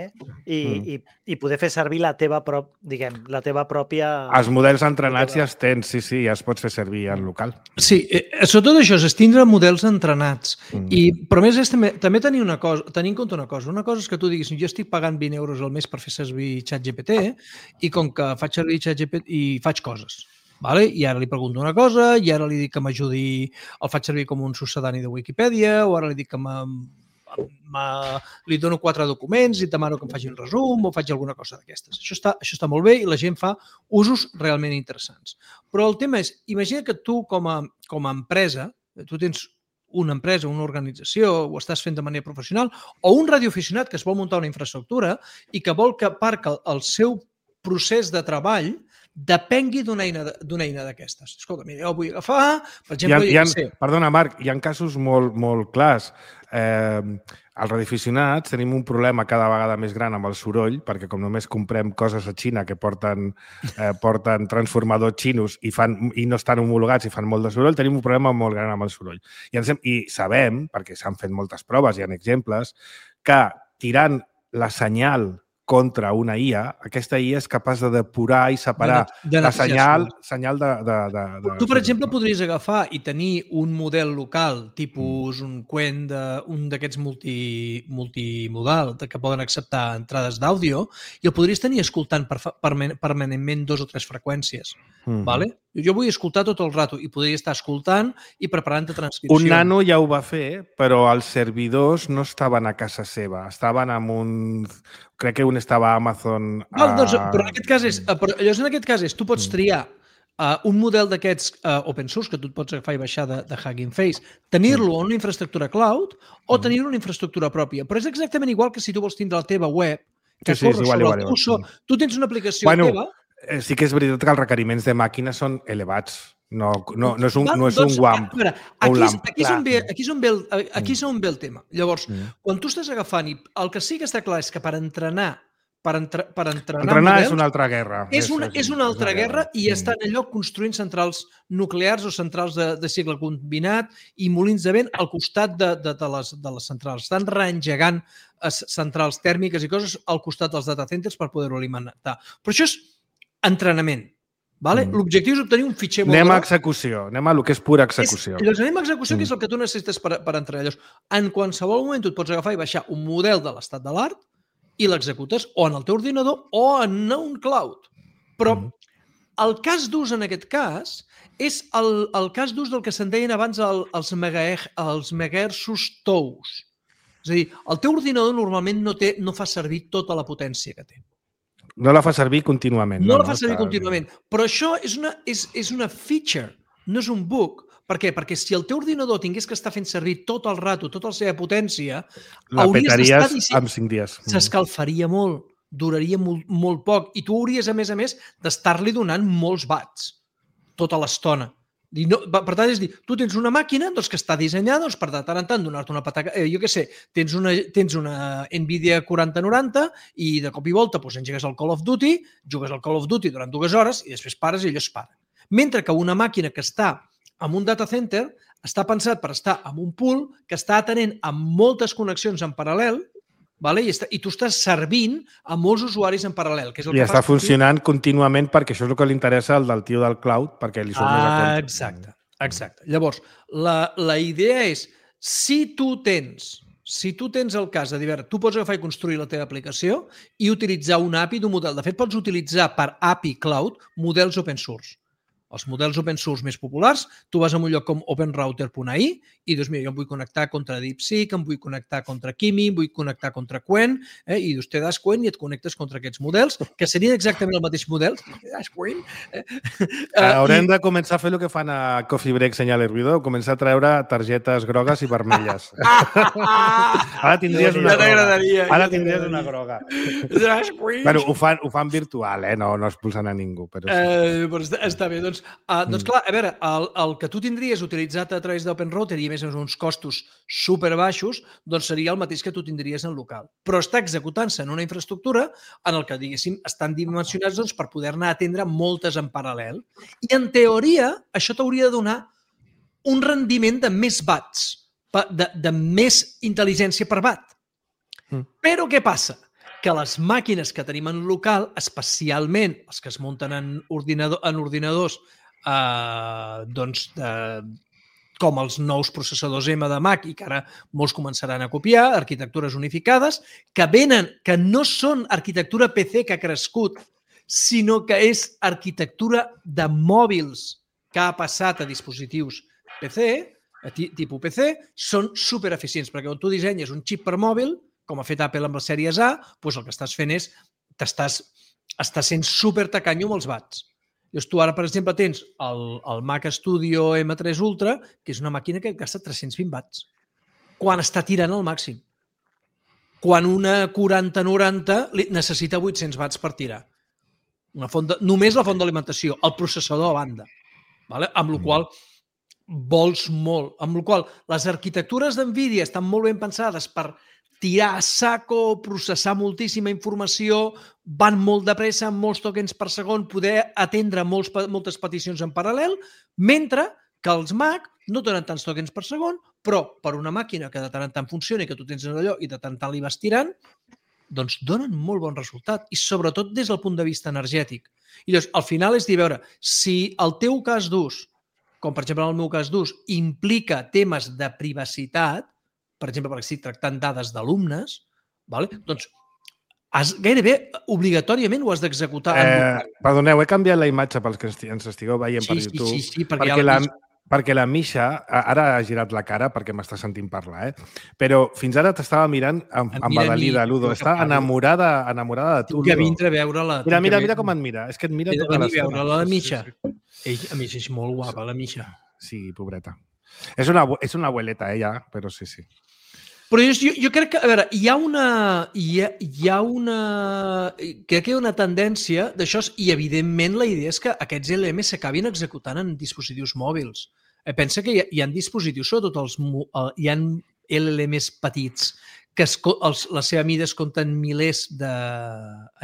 i poder fer servir la teva pròpia... Els models entrenats ja els tens, sí, ja es pots fer servir en local. Sí, sobretot això, és tindre models entrenats. Però a més és també tenir en compte una cosa. Una cosa és que tu diguis, jo estic pagant 20 euros al mes per fer servir ChatGPT i com que faig servir ChatGPT i faig coses. Vale? I ara li pregunto una cosa, i ara li dic que m'ajudi, el faig servir com un succedani de Wikipedia, o ara li dic que li dono 4 documents i et demano que em faci un resum o faig alguna cosa d'aquestes. Això està molt bé i la gent fa usos realment interessants. Però el tema és, imagina que tu com a empresa, tu tens una empresa, una organització, ho estàs fent de manera professional, o un radioaficionat que es vol muntar una infraestructura i que vol que el seu procés de treball depengui d'una eina d'aquestes. Escolta, mira, jo vull agafar, per exemple... Perdona, Marc, hi ha casos molt clars. Als radioaficionats tenim un problema cada vegada més gran amb el soroll, perquè com només comprem coses a Xina que porten transformadors xinos i no estan homologats i fan molt de soroll, tenim un problema molt gran amb el soroll. I sabem, perquè s'han fet moltes proves, hi ha exemples, que tirant la senyal contra una IA, aquesta IA és capaç de depurar i separar la senyal de... Tu, per exemple, podries agafar i tenir un model local, tipus un Qwen, un d'aquests multimodal, que poden acceptar entrades d'àudio, i el podries tenir escoltant permanentment 2 o 3 freqüències. Jo vull escoltar tot el rato i podria estar escoltant i preparant transcripció. Un nano ja ho va fer, però els servidors no estaven a casa seva, estaven amb un... Crec que un estava a Amazon... Però en aquest cas és, tu pots triar un model d'aquests open source que tu et pots agafar i baixar de Hugging Face, tenir-lo en una infraestructura cloud o tenir-lo en una infraestructura pròpia. Però és exactament igual que si tu vols tindre la teva web que corre sobre el teu so. Tu tens una aplicació teva... Sí que és veritat que els requeriments de màquina són elevats. No és un WAMP o un LAMP. Aquí és on ve el tema. Llavors, quan tu estàs agafant, el que sí que està clar és que per entrenar models, és una altra guerra. És una altra guerra i estan allò construint centrals nuclears o centrals de cicle combinat i molins de vent al costat de les centrals. Estan reengegant centrals tèrmiques i coses al costat dels data centers per poder-ho alimentar. Però això és entrenament. L'objectiu és obtenir un fitxer molt Anem a execució, anem a el que és pura execució. Anem a execució, que és el que tu necessites per entrenar. Llavors, en qualsevol moment tu et pots agafar i baixar un model de l'estat de l'art i l'executes o en el teu ordinador o en un cloud. Però el cas d'ús en aquest cas és el cas d'ús del que se'n deien abans els megahertzos tous. És a dir, el teu ordinador normalment no fa servir tota la potència que té. No la fa servir contínuament. No la fa servir contínuament. Però això és una feature, no és un bug. Per què? Perquè si el teu ordinador tingués que estar fent servir tot el rato, tota la seva potència, la petaries en 5 dies. S'escalfaria molt, duraria molt poc i tu hauries, a més, d'estar-li donant molts watts tota l'estona. Per tant, és dir, tu tens una màquina que està dissenyada per de tant en tant donar-te una patata... Jo què sé, tens una Nvidia 4090 i de cop i volta engegues el Call of Duty, jugues al Call of Duty durant 2 hores i després pares i allò es para. Mentre que una màquina que està en un data center està pensat per estar en un pool que està atenent a moltes connexions en paral·lel i tu estàs servint a molts usuaris en paral·lel. I està funcionant contínuament perquè això és el que li interessa al del tio del cloud, perquè li surt més a compte. Exacte. Llavors, la idea és, si tu tens el cas de dir, tu pots agafar i construir la teva aplicació i utilitzar una API d'un model. De fet, pots utilitzar per API Cloud models open source. Els models open source més populars, tu vas a un lloc com openrouter.ai i dius, mira, jo em vull connectar contra DeepSeek, em vull connectar contra Kimi, em vull connectar contra Qwen, i dius, te das Qwen i et connectes contra aquests models, que serien exactament el mateix model. Te das Qwen. Haurem de començar a fer el que fan a Coffee Break Senyal i Ruido, començar a treure targetes grogues i vermelles. Ara tindries una groga. Ara tindries una groga. Bueno, ho fan virtual, no expulsen a ningú. Però està bé, doncs Doncs clar, a veure, el que tu tindries utilitzat a través d'OpenRouter i a més uns costos superbaixos, doncs seria el mateix que tu tindries en local. Però està executant-se en una infraestructura en el que, diguéssim, estan dimensionats doncs, per poder-ne atendre moltes en paral·lel. I, en teoria, això t'hauria de donar un rendiment de més watts, de més intel·ligència per watt. Però què passa? Que les màquines que tenim en local, especialment els que es munten en ordinadors doncs, com els nous processadors M de Mac i que ara molts començaran a copiar, arquitectures unificades, que no són arquitectura PC que ha crescut, sinó que és arquitectura de mòbils que ha passat a dispositius PC, tipus PC, són supereficients, perquè quan tu dissenyes un xip per mòbil, com ha fet Apple amb les sèries A, doncs el que estàs fent és estàs sent supertacanyo amb els watts. Llavors, tu ara, per exemple, tens el Mac Studio M3 Ultra, que és una màquina que gasta 320 watts, quan està tirant al màxim. Quan una 4090 necessita 800 watts per tirar. Només la font d'alimentació, el processador a banda. Amb la qual vols molt. Amb la qual les arquitectures d'NVIDIA estan molt ben pensades per tirar a saco, processar moltíssima informació, van molt de pressa, amb molts tokens per segon, poder atendre moltes peticions en paral·lel, mentre que els Mac no donen tants tokens per segon, però per una màquina que de tant en tant funciona i que tu tens en allò i de tant en tant li vas tirant, doncs donen molt bon resultat, i sobretot des del punt de vista energètic. I llavors, al final és dir, veure, si el teu cas d'ús, com per exemple el meu cas d'ús, implica temes de privacitat, per exemple, perquè estic tractant dades d'alumnes, doncs gairebé obligatòriament ho has d'executar. Perdoneu, he canviat la imatge pels que ens estigueu veient per YouTube. Sí, perquè la Misha, ara ha girat la cara perquè m'està sentint parlar, però fins ara t'estava mirant embadalida, Ludo. Està enamorada de tu, Ludo. Que vindre a veure-la. Mira com et mira. És que et mira tota l'estona. He de venir a veure la Misha. A més, és molt guapa, la Misha. Sí, pobreta. És una abueleta, ella, però sí. Però jo crec que, a veure, hi ha una tendència d'això i, evidentment, la idea és que aquests LLMs s'acabin executant en dispositius mòbils. Pensa que hi ha dispositius, sobretot hi ha LLMs petits, que la seva mida es compta en milers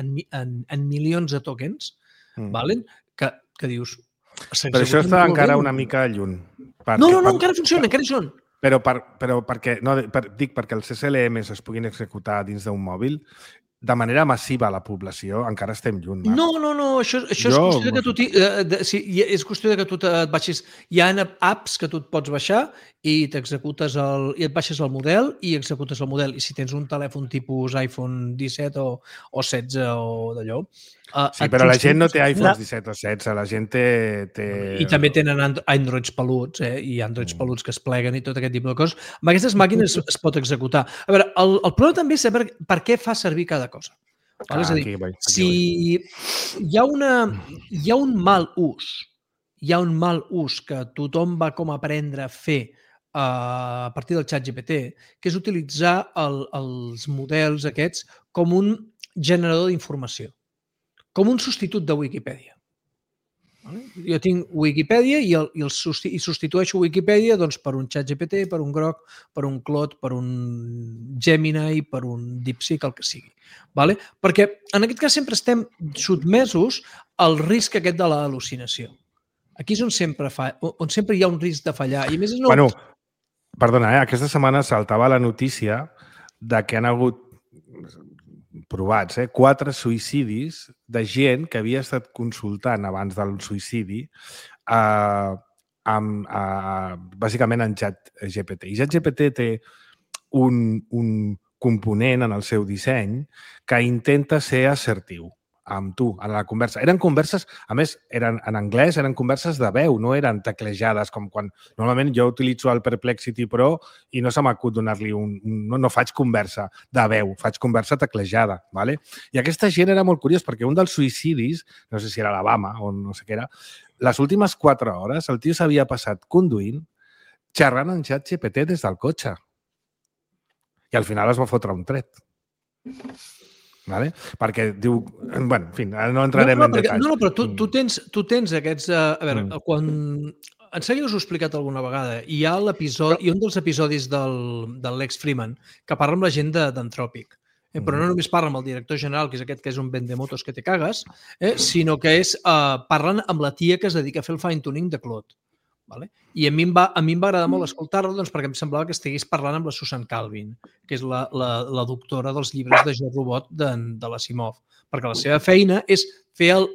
en milions de tokens, que dius... Però això està encara una mica lluny. No, encara funciona, encara hi són. Però perquè els SLMs es puguin executar dins d'un mòbil, de manera massiva a la població, encara estem lluny. No, això és qüestió de que tu és qüestió de que tu et baixis. Hi ha apps que tu et pots baixar i t'executes i et baixes el model i executes el model. I si tens un telèfon tipus iPhone 17 o 16 o d'allò... Sí, però la gent no té iPhones 17 o 16, la gent té... I també tenen Androids peluts, i Androids peluts que es pleguen i tot aquest tipus de coses. Amb aquestes màquines es pot executar. A veure, el problema també és saber per què fa servir cada cosa. És a dir, si hi ha un mal ús que tothom va com aprendre a fer a partir del ChatGPT, que és utilitzar els models aquests com un generador d'informació, com un substitut de Wikipedia. Jo tinc Wikipedia i substitueixo Wikipedia per un ChatGPT, per un Grok, per un Claude, per un Gemini, per un DeepSeek, el que sigui. Perquè en aquest cas sempre estem sotmesos al risc aquest de l'al·lucinació. Aquí és on sempre hi ha un risc de fallar. I a més Bueno, perdona, aquesta setmana saltava la notícia de que han hagut provats, 4 suïcidis de gent que havia estat consultant abans del suïcidi bàsicament en ChatGPT. I ChatGPT té un component en el seu disseny que intenta ser assertiu amb tu, en la conversa. Eren converses, a més, eren en anglès, eren converses de veu, no eren teclejades, com quan normalment jo utilitzo el Perplexity Pro i no se m'acut donar-li no faig conversa de veu, faig conversa teclejada, ¿vale? I aquesta gent era molt curiós perquè un dels suïcidis, no sé si era Alabama o no sé què era, les últimes 4 hores el tio s'havia passat conduint, xerrant en ChatGPT des del cotxe. I al final es va fotre un tret. Vale? Perquè diu... Bueno, en fi, no entrarem en detalls. No, però tu tens aquests... A veure, quan... Em sembla que us ho he explicat alguna vegada. Hi ha un dels episodis del Lex Freeman que parla amb la gent d'Anthropic. Però no només parla amb el director general, que és aquest que és un vendemotos que te cagues, sinó que parlen amb la tia que es dedica a fer el fine-tuning de Claude. Vale? I a mi em va agradar molt escoltar-lo perquè em semblava que estigués parlant amb la Susan Calvin, que és la doctora dels llibres de Jo Robot de l'Asimov, perquè la seva feina és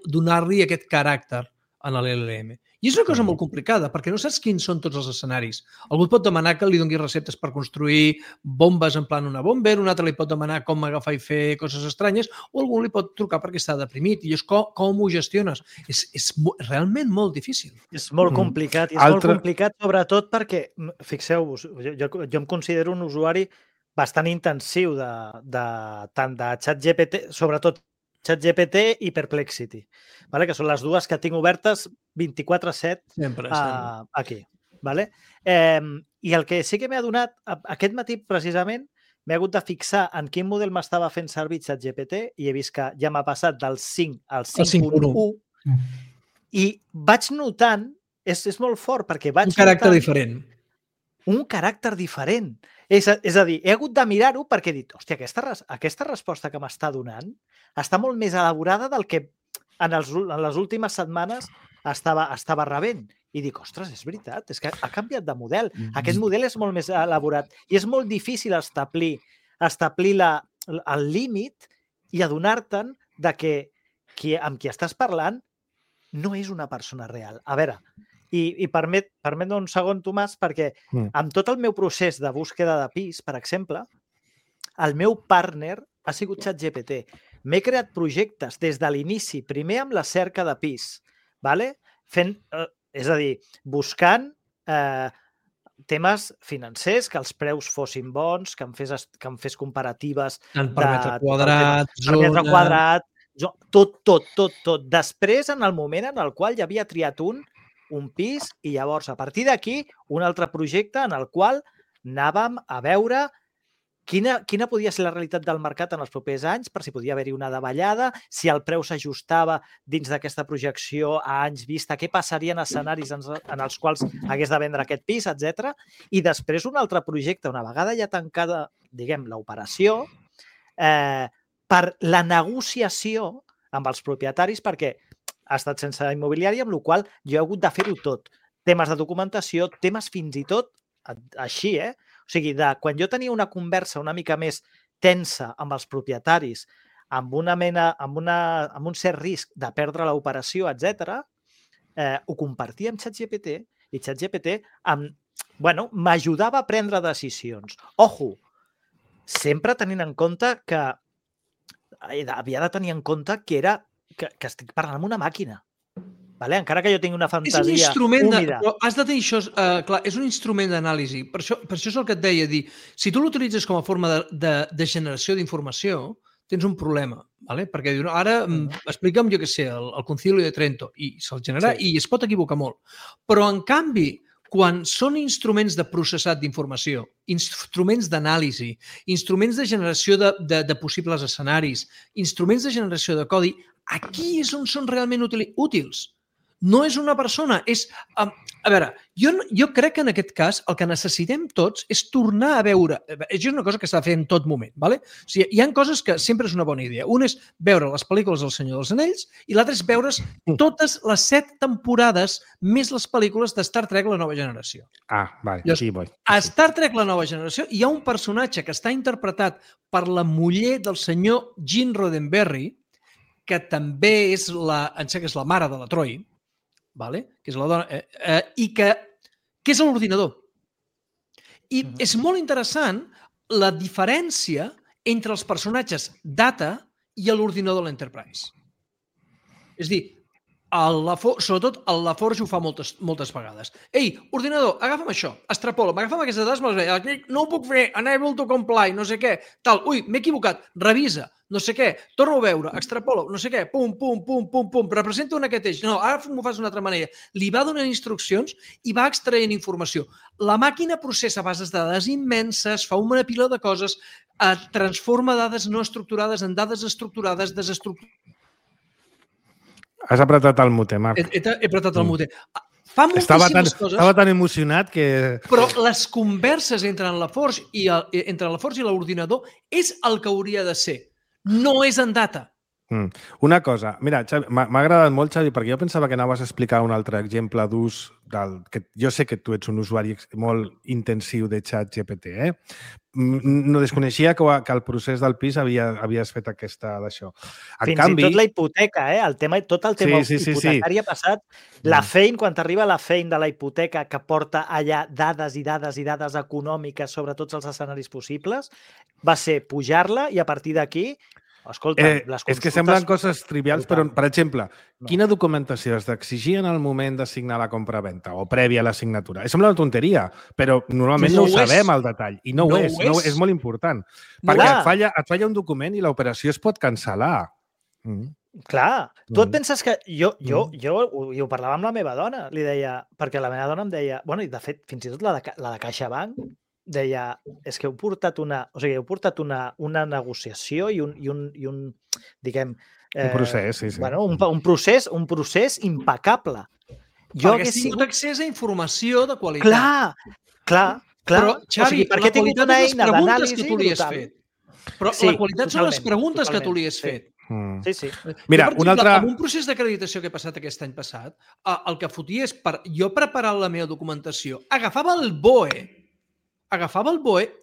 donar-li aquest caràcter a l'LLM. I és una cosa molt complicada, perquè no saps quins són tots els escenaris. Algú et pot demanar que li doni receptes per construir bombes en plan una bomber, un altre li pot demanar com agafar i fer coses estranyes, o algú li pot trucar perquè està deprimit. I és com ho gestiones. És realment molt difícil. És molt complicat. I és molt complicat, sobretot perquè, fixeu-vos, jo em considero un usuari bastant intensiu tant de ChatGPT, sobretot ChatGPT i Perplexity, vale? Que són les dues que tinc obertes 24/7 aquí. Vale? I el que sí que m'he adonat, aquest matí precisament, m'he hagut de fixar en quin model m'estava fent servir ChatGPT i he vist que ja m'ha passat del 5 al 5.1 i vaig notant, és molt fort perquè vaig notant... Un caràcter diferent. És a dir, he hagut de mirar-ho perquè he dit, hòstia, aquesta resposta que m'està donant està molt més elaborada del que en les últimes setmanes estava rebent. I dic, ostres, és veritat, és que ha canviat de model. Aquest model és molt més elaborat i és molt difícil establir el límit i adonar-te'n que amb qui estàs parlant no és una persona real. A veure, i permet un segon, Tomàs, perquè amb tot el meu procés de búsqueda de pis, per exemple, el meu partner ha sigut ChatGPT. M'he creat projectes des de l'inici, primer amb la cerca de pis, vale? És a dir, buscant temes financers, que els preus fossin bons, que em fes comparatives per metre quadrat, per metre quadrat, tot. Després, en el moment en el qual ja havia triat un pis i llavors, a partir d'aquí, un altre projecte en el qual anàvem a veure quina podia ser la realitat del mercat en els propers anys, per si podia haver-hi una davallada, si el preu s'ajustava dins d'aquesta projecció a anys vista, què passaria en escenaris en els quals hagués de vendre aquest pis, etc. I després un altre projecte, una vegada ja tancada, diguem, l'operació, per la negociació amb els propietaris, perquè ha estat sense immobiliari, amb la qual jo he hagut de fer-ho tot. Temes de documentació, temes fins i tot així, O sigui, quan jo tenia una conversa una mica més tensa amb els propietaris, amb un cert risc de perdre l'operació, etc., ho compartia amb ChatGPT i ChatGPT m'ajudava a prendre decisions. Ojo, sempre tenint en compte que havia de tenir en compte que estic parlant amb una màquina. Vale? Encara que jo tingui una fantasia húmida. És un instrument, però has de tenir això, clar, és un instrument d'anàlisi. Per això és el que et deia, dir, si tu l'utilitzes com a forma de generació d'informació, tens un problema, vale? Perquè diu, ara explica'm, jo què sé, el Concilio de Trento, i se'l genera i es pot equivocar molt. Però, en canvi, quan són instruments de processat d'informació, instruments d'anàlisi, instruments de generació de possibles escenaris, instruments de generació de codi, aquí és on són realment útils. No és una persona, és... A veure, jo crec que en aquest cas el que necessitem tots és tornar a veure... És una cosa que s'ha de fer en tot moment, ¿vale? O sigui, hi ha coses que sempre és una bona idea. Un és veure les pel·lícules del Senyor dels Anells i l'altre és veure's totes les 7 temporades més les pel·lícules de Star Trek La Nova Generació. Vale, sí, vull. A Star Trek La Nova Generació hi ha un personatge que està interpretat per la muller del senyor Gene Roddenberry, que també és la mare de la Troy, vale? Que és la dona, i que és l'ordinador. I és molt interessant la diferència entre els personatges Data i l'ordinador de l'Enterprise. És a dir, sobretot el LaForge ho fa moltes vegades. Ei, ordinador, agafa'm això, extrapola, m'agafa'm aquestes dades, no ho puc fer, unable to comply, no sé què, tal, ui, m'he equivocat, revisa, no sé què, torno a veure, extrapola, no sé què, pum, pum, pum, pum, pum, representa aquest eix, no, ara m'ho fas d'una altra manera. Li va donant instruccions i va extraient informació. La màquina processa bases de dades immenses, fa una pila de coses, transforma dades no estructurades en dades estructurades, desestructurades. Has apretat el mute, Marc. He apretat el mute. Fa moltíssimes coses. Estava tan emocionat que... Però les converses entre la Forge i l'ordinador és el que hauria de ser. No és en data. Una cosa, mira, Xavi, m'ha agradat molt, Xavi, perquè jo pensava que anaves a explicar un altre exemple d'ús que jo sé que tu ets un usuari molt intensiu de ChatGPT, eh? No desconeixia que el procés del pis havies fet d'això. Fins i tot la hipoteca, tot el tema hipotecari ha passat. La feina, quan t'arriba la feina de la hipoteca que porta allà dades i dades i dades econòmiques sobre tots els escenaris possibles, va ser pujar-la i a partir d'aquí... Escolta, les consultes... És que semblen coses trivials, però, per exemple, quina documentació has d'exigir en el moment de signar la compra-venta o prèvia a la signatura? Sembla una tonteria, però normalment no ho sabem al detall. I no ho és. És molt important. Perquè et falla un document i l'operació es pot cancel·lar. Clar. Tu et penses que... Jo ho parlava amb la meva dona, li deia... Perquè la meva dona em deia... Bueno, i de fet, fins i tot la de CaixaBank deia, és que heu portat una negociació i un diguem... Un procés, sí. Bueno, un procés impecable. Perquè has tingut accés a informació de qualitat. Clar. Però, Xavi, la qualitat de les preguntes que tu li has fet. Però la qualitat són les preguntes que tu li has fet. Sí. Mira, amb un procés d'acreditació que he passat aquest any passat, el que fotia és, jo preparar la meva documentació, agafava el BOE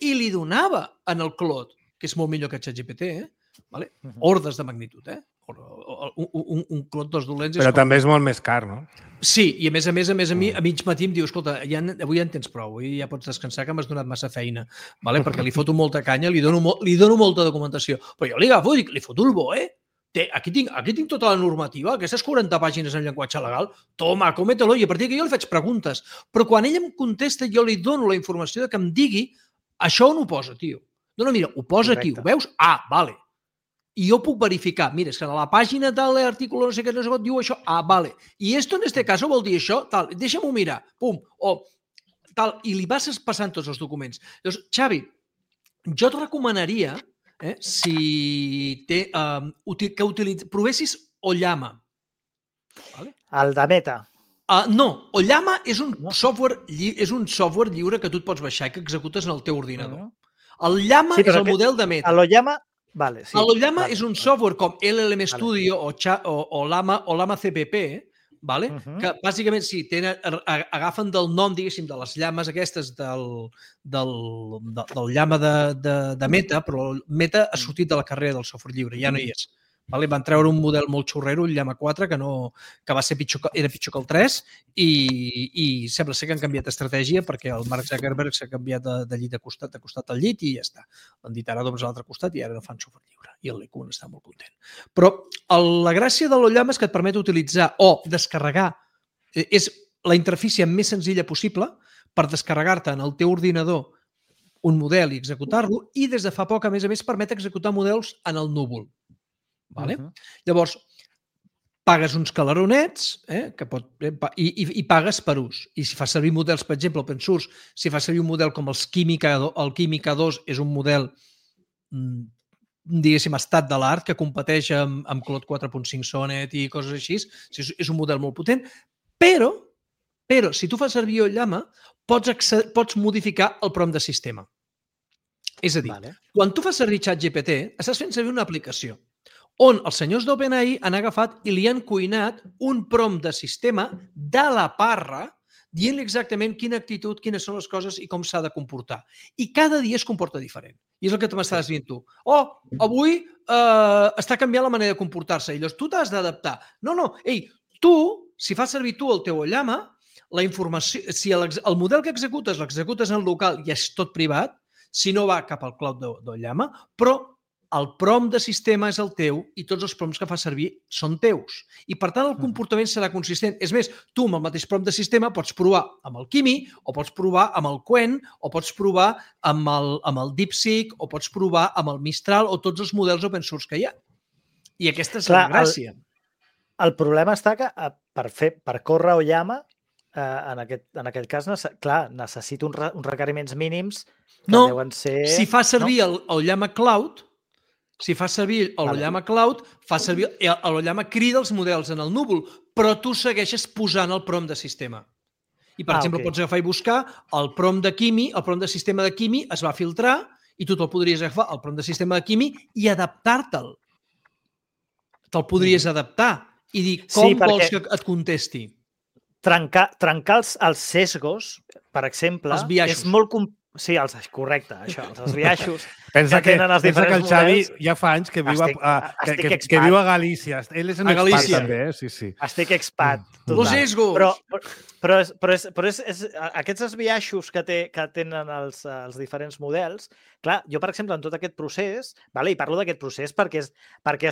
i li donava en el Claude, que és molt millor que ChatGPT, vale? Ordes de magnitud, un Claude dos dolents... Però també és molt més car, no? Sí, i a més a mig matí em diu, escolta, avui ja en tens prou, i ja pots descansar que m'has donat massa feina, perquè li foto molta canya, li dono molta documentació, però jo li agafo i dic, li foto el BOE, aquí tinc tota la normativa, aquestes 40 pàgines en llenguatge legal, toma, cómetelo, i a partir d'aquí jo li faig preguntes. Però quan ell em contesta, jo li dono la informació que em digui això on ho posa, tio. No, mira, ho posa aquí, ho veus? Ah, vale. I jo puc verificar, mira, és que a la pàgina de l'article no sé què, diu això, ah, vale. I esto en este caso vol dir això, tal, deixa'm-ho mirar, pum, o tal, i li vas passant tots els documents. Llavors, Xavi, jo et recomanaria que provessis Ollama. El de Meta. No, Ollama és un software lliure que tu et pots baixar i que executes en el teu ordinador. El Llama és el model de Meta. L'Ollama L'Ollama és un software com LLM Studio o Llama CPP, que bàsicament agafen del nom, diguéssim, de les llames aquestes del llama de Meta, però Meta ha sortit de la carrera del software lliure, ja no hi és. Van treure un model molt xurrero, el Llama 4, que va ser era pitjor que el 3 i sembla ser que han canviat estratègia perquè el Mark Zuckerberg s'ha canviat de llit de costat al llit i ja està. Han dit ara doncs a l'altre costat i ara no fan software lliure. I el LeCun està molt content. Però la gràcia de l'Ollama és que et permet utilitzar o descarregar, és la interfície més senzilla possible per descarregar-te en el teu ordinador un model i executar-lo, i des de fa poc, a més, permet executar models en el núvol. Llavors, pagues uns calaronets i pagues per ús. I si fas servir models, per exemple, open source, si fas servir un model com el Química 2, és un model, diguéssim, estat de l'art, que competeix amb Claude 4.5 Sonnet i coses així. És un model molt potent, però si tu fas servir Ollama, pots modificar el prompt de sistema. És a dir, quan tu fas servir ChatGPT, estàs fent servir una aplicació on els senyors d'OpenAI han agafat i li han cuinat un prompt de sistema de la parra dient-li exactament quina actitud, quines són les coses i com s'ha de comportar. I cada dia es comporta diferent. I és el que m'estàs dient tu. Avui està canviant la manera de comportar-se. I llavors tu t'has d'adaptar. No, tu, si fas servir tu el teu Ollama, la informació, si el model que l'executes en local i és tot privat, si no va cap al cloud d'Ollama, però el prompt de sistema és el teu i tots els prompts que fa servir són teus. I, per tant, el comportament serà consistent. És més, tu amb el mateix prompt de sistema pots provar amb el Kimi, o pots provar amb el Qwen, o pots provar amb el DeepSeek, o pots provar amb el Mistral, o tots els models open source que hi ha. I aquesta és la gràcia. El problema està que per córrer Oyama, en aquest cas, clar, necessita uns requeriments mínims que deuen ser... Si fa servir el Llama Cloud, fa servir el Llama crida els models en el núvol, però tu segueixes posant el prompt de sistema. I, per exemple, pots agafar i buscar el prompt de Kimi, el prompt de sistema de Kimi es va filtrar i tu te'l podries agafar, el prompt de sistema de Kimi, i adaptar-te'l. Te'l podries adaptar i dir com vols que et contesti. Trencar els sesgos, per exemple, és molt complicat. Sí, correcte, això, els biaixos que tenen els diferents models. Pensa que el Xavi ja fa anys que viu a Galícia. Ell és un expat també, sí. Estic expat. Los sesgos! Però aquests biaixos que tenen els diferents models, clar, jo, per exemple, en tot aquest procés, i parlo d'aquest procés perquè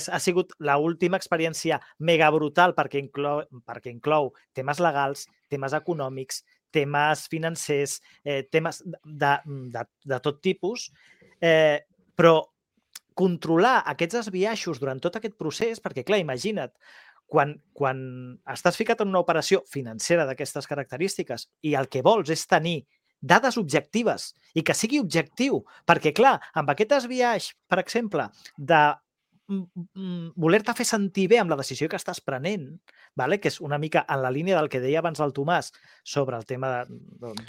ha sigut l'última experiència mega brutal perquè inclou temes legals, temes econòmics, temes financers, temes de tot tipus, però controlar aquests biaixos durant tot aquest procés, perquè, clar, imagina't, quan estàs ficat en una operació financera d'aquestes característiques i el que vols és tenir dades objectives i que sigui objectiu, perquè, clar, amb aquest biaix, per exemple, de voler-te fer sentir bé amb la decisió que estàs prenent, que és una mica en la línia del que deia abans el Tomàs sobre el tema de...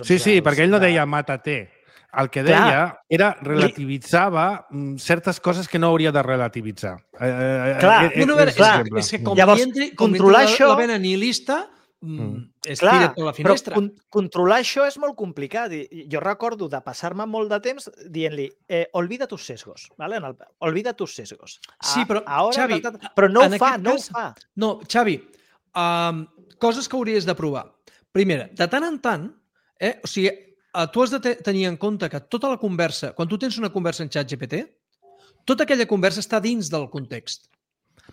Sí, perquè ell no deia mata-te. El que deia era relativitzava certes coses que no hauria de relativitzar. Clar, és que com controlar això... La vena nihilista es tira per la finestra. Però controlar això és molt complicat. Jo recordo de passar-me molt de temps dient-li olvida tus sesgos. Olvida tus sesgos. Sí, però, Xavi... Però no ho fa. No, Xavi, coses que hauries de provar. Primera, de tant en tant, o sigui, tu has de tenir en compte que tota la conversa, quan tu tens una conversa en ChatGPT, tota aquella conversa està dins del context.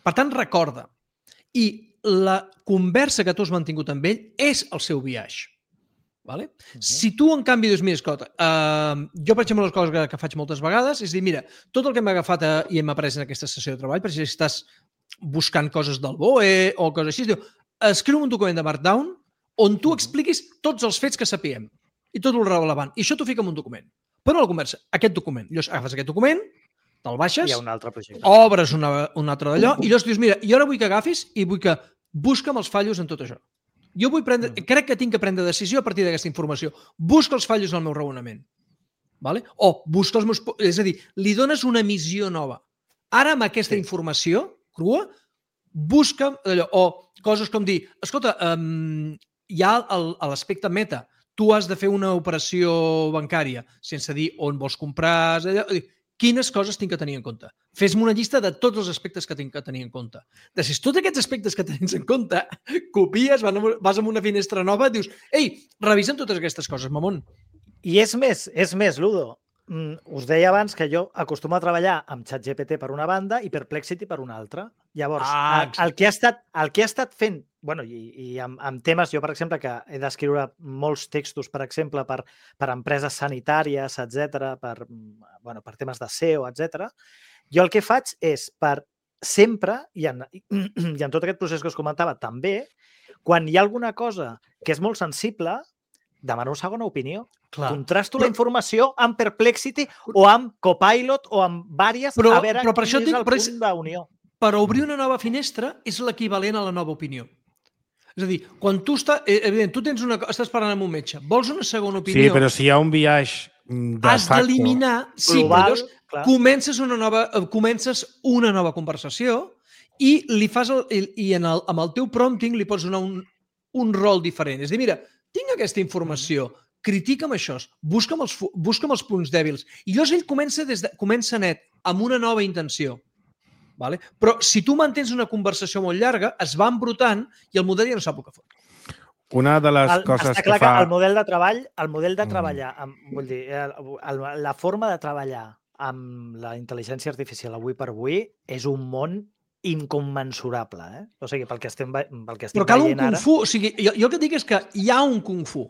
Per tant, recorda. I la conversa que tu has mantingut amb ell és el seu biaix. Si tu, en canvi, dius, mira, escolta, jo, per exemple, les coses que faig moltes vegades és dir, mira, tot el que m'ha agafat i hem après en aquesta sessió de treball, per exemple, si estàs buscant coses del BOE o coses així, diu, escriu un document de Markdown on tu expliquis tots els fets que sapiem i tot el rellevant. I això t'ho fica en un document. Però no la conversa, aquest document. Llavors, agafes aquest document, te'l baixes, hi ha un altre projecte. Obres un altre d'allò i llavors dius, mira, jo ara vull que agafis i vull que busca'm els fallos en tot això. Jo crec que tinc que prendre decisió a partir d'aquesta informació. Busca els fallos en el meu raonament. O busca els meus... És a dir, li dones una missió nova. Ara, amb aquesta informació crua, busca'm allò. O coses com dir, escolta, hi ha l'aspecte meta. Tu has de fer una operació bancària sense dir on vols comprar, quines coses tinc que tenir en compte. Fes-me una llista de tots els aspectes que tinc que tenir en compte. Després, tots aquests aspectes que tens en compte, copies, vas a una finestra nova i dius, ei, revisa'm totes aquestes coses, mamón. I és més, Ludo. Us deia abans que jo acostumo a treballar amb ChatGPT per una banda i Perplexity per una altra. Llavors, el que ha estat fent, i amb temes, jo, per exemple, que he d'escriure molts textos, per exemple, per empreses sanitàries, etc., per temes de SEO, etc., jo el que faig és per sempre, i en tot aquest procés que us comentava també, quan hi ha alguna cosa que és molt sensible, demano una segona opinió. Contrasto la informació amb Perplexity o amb Copilot o amb vàries a veure quin és el punt d'unió. Per obrir una nova finestra és l'equivalent a la nova opinió. És a dir, quan tu estàs parlant amb un metge, vols una segona opinió... Sí, però si hi ha un biaix de facto... Has d'eliminar... Sí, però comences una nova conversació i amb el teu prompting li pots donar un rol diferent. És a dir, mira, tinc aquesta informació, critica'm això, busca'm els punts dèbils. I llavors ell comença net amb una nova intenció. Però si tu mantens una conversació molt llarga, es va embrutant i el model ja no sap el que fot. Una de les coses que fa... El model de treballar, vull dir, la forma de treballar amb la intel·ligència artificial avui per avui és un món incommensurable, eh? O sigui, pel que estem Però cal un kung fu. O sigui, jo el que dic és que hi ha un kung fu.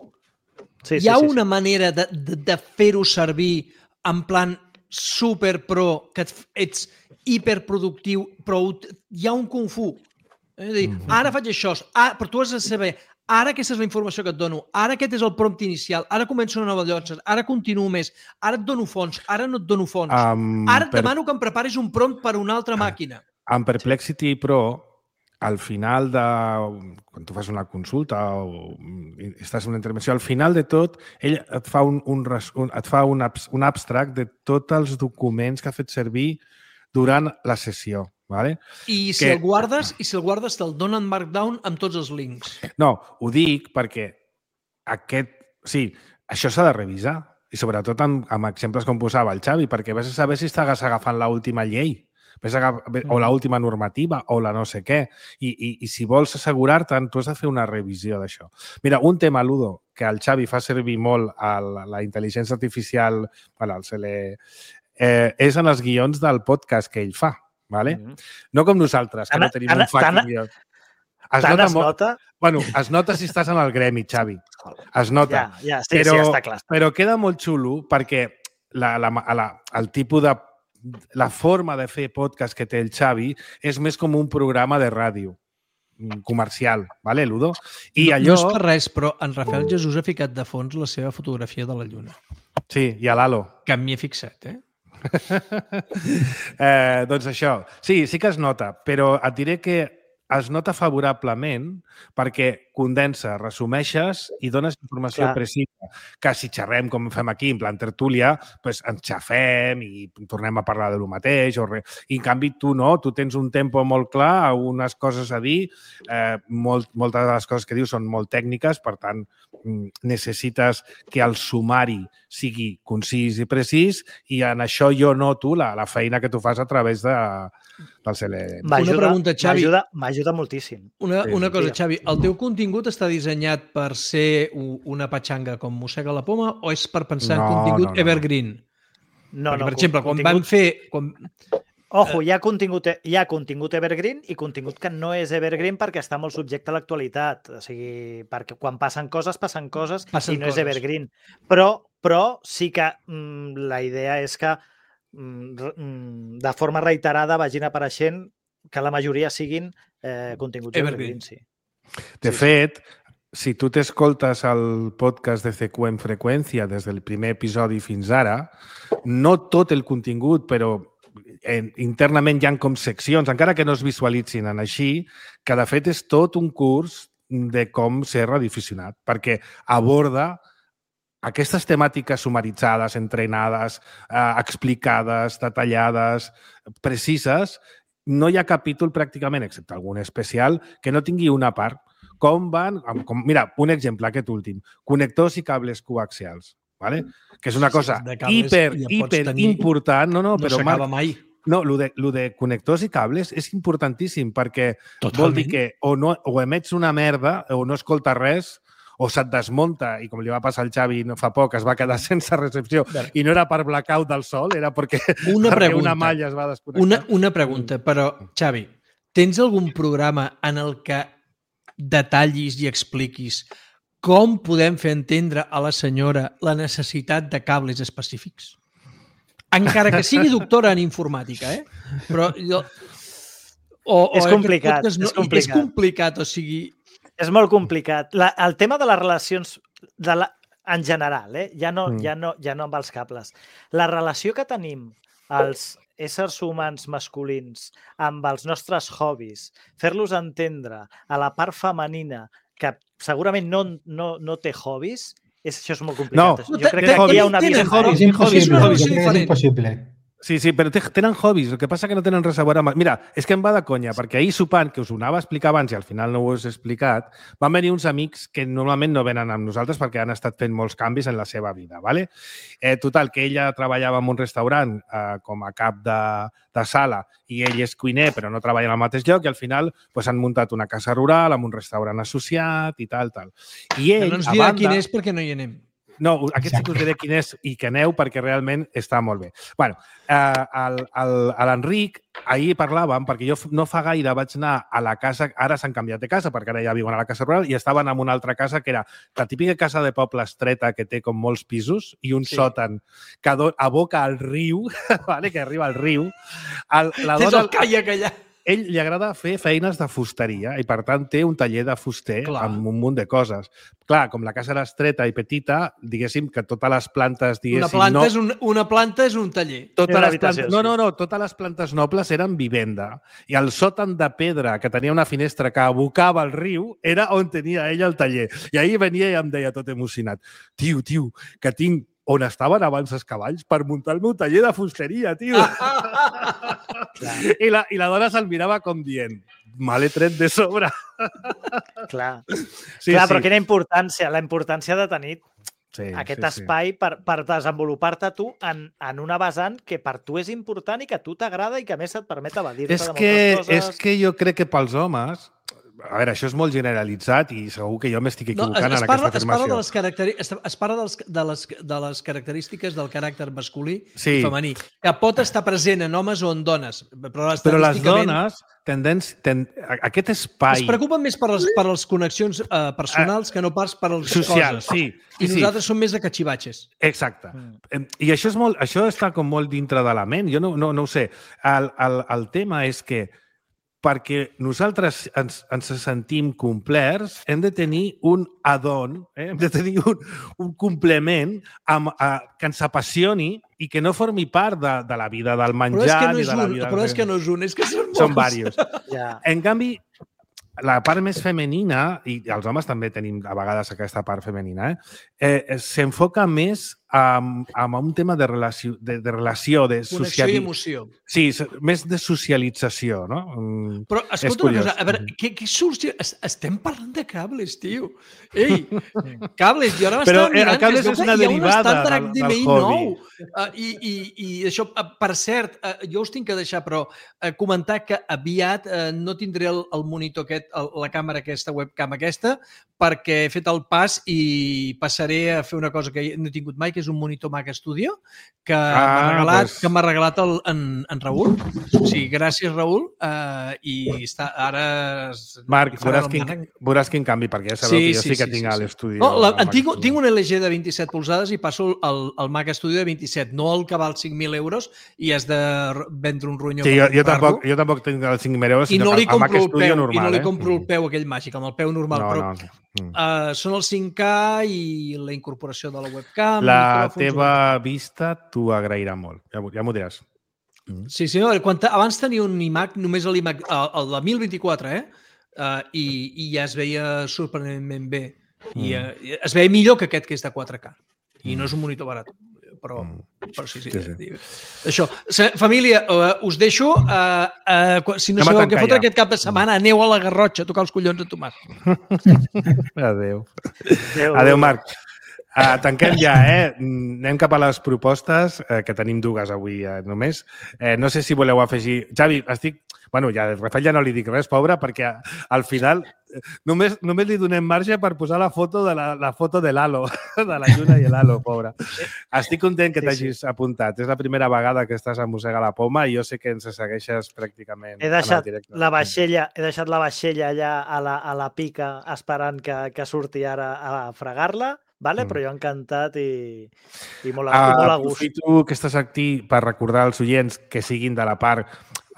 Hi ha una manera de fer-ho servir en plan super pro, que ets hiperproductiu, però hi ha un kung fu. És a dir, ara faig això, però tu has de saber, ara aquesta és la informació que et dono, ara aquest és el prompt inicial, ara començo una nova llotja, ara continuo més, ara et dono fons, ara no et dono fons, ara et demano que em preparis un prompt per una altra màquina. En Perplexity Pro, al final quan tu fas una consulta o estàs en una intervenció, al final de tot, ell et fa un abstract de tots els documents que ha fet servir durant la sessió. Vale? I si el guardes te'l donen Markdown amb tots els links. No, ho dic perquè això s'ha de revisar. I sobretot amb exemples com posava el Xavi, perquè vés a saber si estàs agafant l'última llei o l'última normativa o la no sé què. I si vols assegurar-te'n, tu has de fer una revisió d'això. Mira, un tema, Ludo, que el Xavi fa servir molt a la intel·ligència artificial, és en els guions del podcast que ell fa. Vale? No com nosaltres, que no tenim un fucking guió. Es nota? Bueno, es nota si estàs en el gremi, Xavi. Es nota. Ja està clar. Però queda molt xulo perquè el tipus de... La forma de fer podcast que té el Xavi és més com un programa de ràdio comercial, vale, Ludo? I allò... No és per res, però en Rafael Jesús ha ficat de fons la seva fotografia de la Lluna. Sí, i a l'Halo. Que m'hi he fixat, doncs això, sí que es nota, però et diré que es nota favorablement perquè condensa, resumeixes i dones informació precisa, que si xerrem com fem aquí, en plan tertúlia, doncs ens xafem i tornem a parlar de lo mateix o res. I en canvi tu no, tu tens un tempo molt clar, unes coses a dir, moltes de les coses que dius són molt tècniques, per tant necessites que el sumari sigui concís i precís i en això jo noto la feina que tu fas a través del CLM. Una pregunta, Xavi. M'ajuda moltíssim. Una cosa, Xavi, el teu contingut està dissenyat per ser una patxanga com mossega la poma o és per pensar en contingut evergreen? No, per exemple, quan van fer... Ojo, hi ha contingut evergreen i contingut que no és evergreen perquè està molt subjecte a l'actualitat. O sigui, perquè quan passen coses i no és evergreen. Però sí que la idea és que de forma reiterada vagin apareixent que la majoria siguin continguts evergreen, sí. De fet, si tu t'escoltes el podcast de CQ en freqüència des del primer episodi fins ara, no tot el contingut, però internament hi ha com seccions, encara que no es visualitzin en així, que de fet és tot un curs de com ser radioaficionat, perquè aborda aquestes temàtiques sumaritzades, entrenades, explicades, detallades, precises. No hi ha capítol pràcticament, excepte algun especial, que no tingui una part. Mira, un exemple, aquest últim. Connectors i cables coaxials. ¿Vale? Que és una cosa hiper important. No s'acaba mai. No, lo de connectors i cables és importantíssim perquè vol dir que o emets una merda o no escolta res o se't desmunta, i com li va passar al Xavi no fa poc, es va quedar sense recepció i no era per blackout del sol, era perquè una malla es va desconnectar. Una pregunta, però, Xavi, tens algun programa en el que detallis i expliquis com podem fer entendre a la senyora la necessitat de cables específics? Encara que sigui doctora en informàtica, Però jo... És complicat. És complicat, o sigui... És molt complicat. El tema de les relacions en general, ja no amb els cables. La relació que tenim els éssers humans masculins amb els nostres hobbies, fer-los entendre a la part femenina que segurament no té hobbies, això és molt complicat. No, jo crec que aquí hi ha una visió. És impossible. Sí, però tenen hobbies, el que passa que no tenen res a veure amb... Mira, és que em va de conya, perquè ahir sopant, que us ho anava a explicar abans i al final no ho he explicat, van venir uns amics que normalment no venen amb nosaltres perquè han estat fent molts canvis en la seva vida, ¿vale? Total, que ella treballava en un restaurant com a cap de sala i ell és cuiner però no treballa en el mateix lloc i al final han muntat una casa rural amb un restaurant associat i tal. I ell, no ens dirà quin és perquè no hi anem. No, aquest sí que us diré quin és i que aneu perquè realment està molt bé. Bueno, l'Enric, ahir parlàvem, perquè jo no fa gaire vaig anar a la casa, ara s'han canviat de casa, perquè ara ja viuen a la casa rural, i estaven en una altra casa que era la típica casa de poble estreta que té com molts pisos i un sòtan que aboca al riu, vale? Que arriba al riu. Tens el caiac allà. Ell li agrada fer feines de fusteria i, per tant, té un taller de fuster amb un munt de coses. Clar, com la casa era estreta i petita, diguéssim que totes les plantes... Una planta és un taller. No, totes les plantes nobles eren vivenda. I el sòtan de pedra, que tenia una finestra que abocava al riu, era on tenia ell el taller. I ahir venia i em deia tot emocionat: tio, que tinc on estaven abans els cavalls per muntar el meu taller de fusteria, tio. I la dona se'l mirava com dient: me l'he tret de sobre. Clar, però quina importància, la importància de tenir aquest espai per desenvolupar-te tu en una vessant que per tu és important i que a tu t'agrada i que a més et permet evadir-te de moltes coses. És que jo crec que pels homes... A veure, això és molt generalitzat i segur que jo m'estic equivocant en aquesta afirmació. Es parla de les característiques del caràcter masculí i femení, que pot estar present en homes o en dones. Però les dones, aquest espai... Es preocupen més per les connexions personals que no pas per les socials, coses. I nosaltres som més de cachivatxes. Exacte. I això està com molt dintre de la ment. Jo no ho sé. El tema és que perquè nosaltres ens sentim complerts, hem de tenir un add-on, hem de tenir un complement que ens apassioni i que no formi part de la vida del menjar ni de la vida... Però és que no és un, és que són molts. Són diversos. En canvi, la part més femenina, i els homes també tenim a vegades aquesta part femenina, s'enfoca més amb un tema de relació, de connexió i emoció. Sí, més de socialització, no? Però, escolta una cosa, a veure, què sorgeix? Estem parlant de cables, tio. Ei, cables, jo ara m'estava mirant cables és una derivada del hobby. I això, per cert, jo us tinc que deixar, però comentar que aviat no tindré el monitor aquest, la càmera aquesta, webcam aquesta, perquè he fet el pas i passaré a fer una cosa que no he tingut mai, que és un monitor Mac Studio que m'ha regalat en Raül. O sigui, gràcies, Raül. I està ara... Marc, veuràs quin canvi, perquè ja sabeu que jo sí que tinc a l'estudi. Tinc un LG de 27 polzades i passo el Mac Studio de 27, no el que val 5.000 euros i has de vendre un ronyó. Sí, jo tampoc tinc els 5.000 euros, sinó el Mac Studio normal. I no li compro el peu aquell màgic, amb el peu normal. Són els 5K i la incorporació de la webcam. La teva vista t'ho agrairà molt. Ja m'ho diràs. Sí, no, abans tenia un iMac, només l'iMac, el de 1024, i ja es veia sorprenentment bé. I es veia millor que aquest que és de 4K. I no és un monitor barat. Però sí. Això. Família, us deixo. Si no sabeu què fotre aquest cap de setmana, aneu a la Garrotxa a tocar els collons a Tomàs. Adéu. Adéu, Marc. Tanquem ja, Anem cap a les propostes, que tenim dues avui només. No sé si voleu afegir... Xavi, Bueno, ja Rafael ja no li dic res, pobre, perquè al final només li donem marge per posar la foto de l'Halo, de la Lluna i l'Halo, pobre. Estic content que t'hagis apuntat. És la primera vegada que estàs a Mossega la Poma i jo sé que ens segueixes pràcticament en el directe. He deixat la vaixella allà a la pica esperant que surti ara a fregar-la. Vale? Però jo encantat i molt a gust. Aprofito que estàs aquí per recordar als oients que siguin de la part...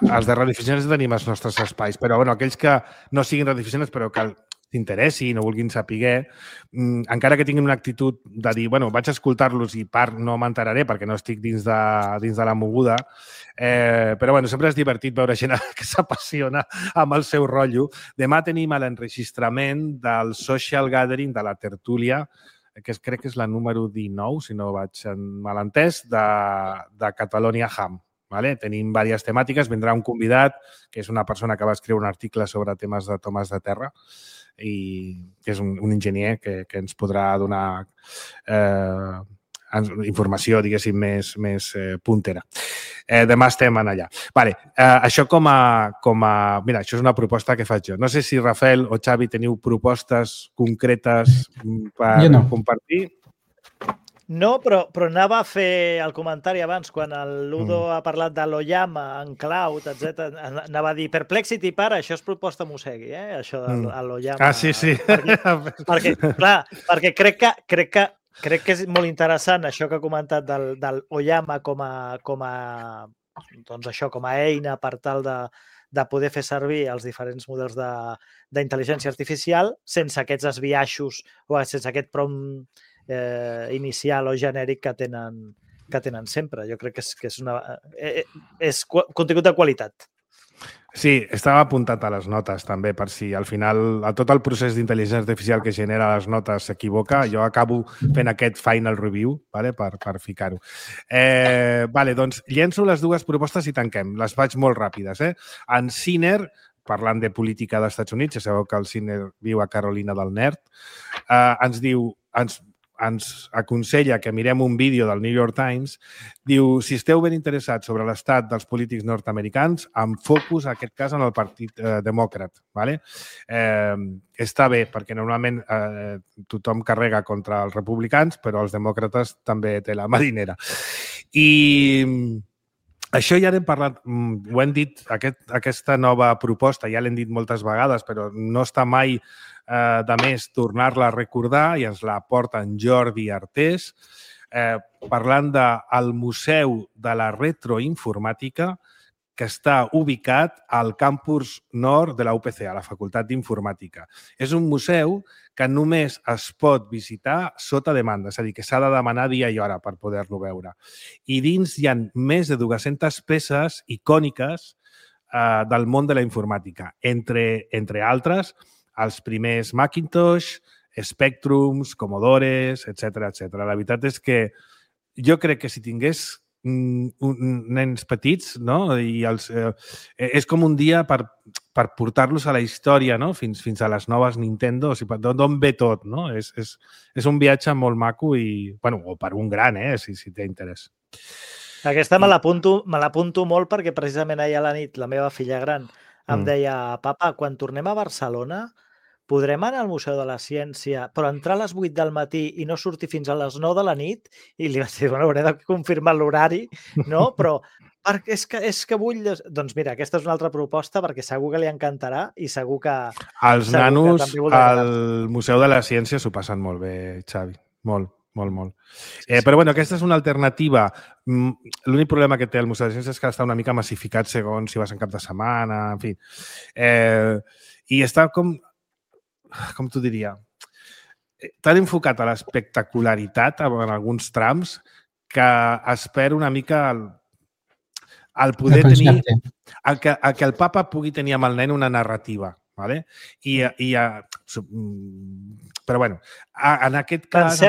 Els de radioaficionats tenim els nostres espais, però aquells que no siguin radioaficionats però que t'interessin o vulguin saber, encara que tinguin una actitud de dir, vaig a escoltar-los i no m'enteraré perquè no estic dins de la moguda, però sempre és divertit veure gent que s'apassiona amb el seu rotllo. Demà tenim l'enregistrament del Social Gathering de la Tertúlia, que crec que és la número 19, si no vaig malentès, de Catalonia Ham. Tenim diverses temàtiques. Vindrà un convidat, que és una persona que va escriure un article sobre temes de tomes de terra i que és un enginyer que ens podrà donar informació, diguéssim, més puntera. Demà estem allà. Això mira, això és una proposta que faig jo. No sé si Rafael o Xavi teniu propostes concretes per compartir. No, però anava a fer el comentari abans, quan el Ludo ha parlat de l'Oyama en cloud, etc. Anava a dir, Perplexity, para, això és proposta Mosegui, això de l'Oyama. Ah, sí. Perquè, clar, perquè crec que és molt interessant això que ha comentat del Oyama com a eina per tal de poder fer servir els diferents models d'intel·ligència artificial sense aquests esbiaixos o sense aquest prompt inicial o genèric que tenen sempre. Jo crec que és contingut de qualitat. Sí, estava apuntat a les notes també, per si al final a tot el procés d'intel·ligència artificial que genera les notes s'equivoca, jo acabo fent aquest final review, vale, per ficar-ho. Vale, doncs llenço les dues propostes i tanquem. Les faig molt ràpides. En Sinner, parlant de política dels Estats Units, ja sabeu que el Sinner viu a Carolina del Nord, ens diu, ens aconsella que mirem un vídeo del New York Times, diu, si esteu ben interessats sobre l'estat dels polítics nord-americans, amb focus, en aquest cas, en el Partit Demòcrat. Vale? Està bé, perquè normalment tothom carrega contra els republicans, però els demòcrates també té la marinera. I això ja n'hem parlat, ho hem dit, aquesta nova proposta, ja l'hem dit moltes vegades, però no està mai de més tornar-la a recordar, i ens la porta en Jordi Artés, parlant del Museu de la Retroinformàtica, que està ubicat al campus nord de la UPC, a la Facultat d'Informàtica. És un museu que només es pot visitar sota demanda, és a dir, que s'ha de demanar dia i hora per poder-lo veure. I dins hi ha més de 200 peces icòniques del món de la informàtica, entre altres, els primers Macintosh, Spectrums, Commodores, etc. La veritat és que jo crec que si tingués nens petits, no? I és com un dia per portar-los a la història, no? fins a les noves Nintendo, o sigui, d'on ve tot, no? És un viatge molt maco i, bueno, o per un gran, si té interès. Aquesta me l'apunto molt perquè precisament ahir a la nit la meva filla gran em deia, papa, quan tornem a Barcelona podrem anar al Museu de la Ciència, però entrar a les 8 del matí i no sortir fins a les 9 de la nit? I li vaig dir, bueno, hauré de confirmar l'horari, no? Però perquè és que vull... Doncs mira, aquesta és una altra proposta perquè segur que li encantarà i segur que... Els nanos al Museu de la Ciència s'ho passen molt bé, Xavi. Molt. Però bueno, aquesta és una alternativa. L'únic problema que té el Museu de la Ciència és que està una mica massificat segons si vas en cap de setmana, en fi. I està com t'ho diria, tan enfocat a l'espectacularitat en alguns trams que es perd una mica el poder tenir... que el papa pugui tenir amb el nen una narrativa. Vale? Però bueno, en aquest cas...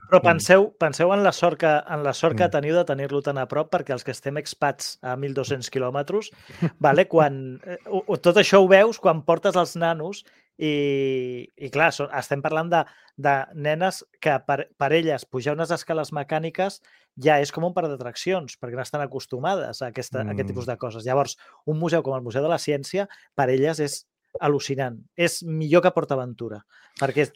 Però penseu en la sort que teniu de tenir-lo tan a prop, perquè els que estem expats a 1.200 quilòmetres, vale? Tot això ho veus quan portes els nanos i clar, estem parlant de nenes que per elles pujar unes escales mecàniques ja és com un parc d'atraccions, perquè no estan acostumades a aquest tipus de coses. Llavors, un museu com el Museu de la Ciència, per elles és al·lucinant. És millor que PortAventura, perquè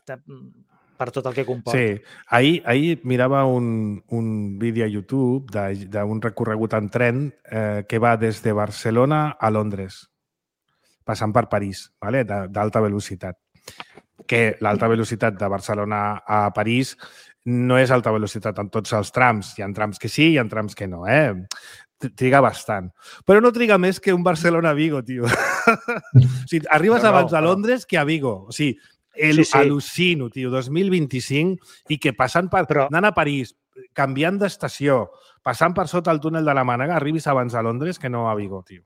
per tot el que comporta. Sí. Ahir mirava un vídeo a YouTube d'un recorregut en tren que va des de Barcelona a Londres, passant per París, vale? D'alta velocitat. Que l'alta velocitat de Barcelona a París no és alta velocitat en tots els trams. Hi ha trams que sí, hi ha trams que no. Triga bastant. Però no triga més que un Barcelona-Vigo, tio. O sigui, arribes abans a Londres que a Vigo. O sigui, al·lucino, tio, 2025, i que passant anant a París, canviant d'estació, passant per sota el túnel de la Mànega, arribis abans a Londres que no a Vigo, tio.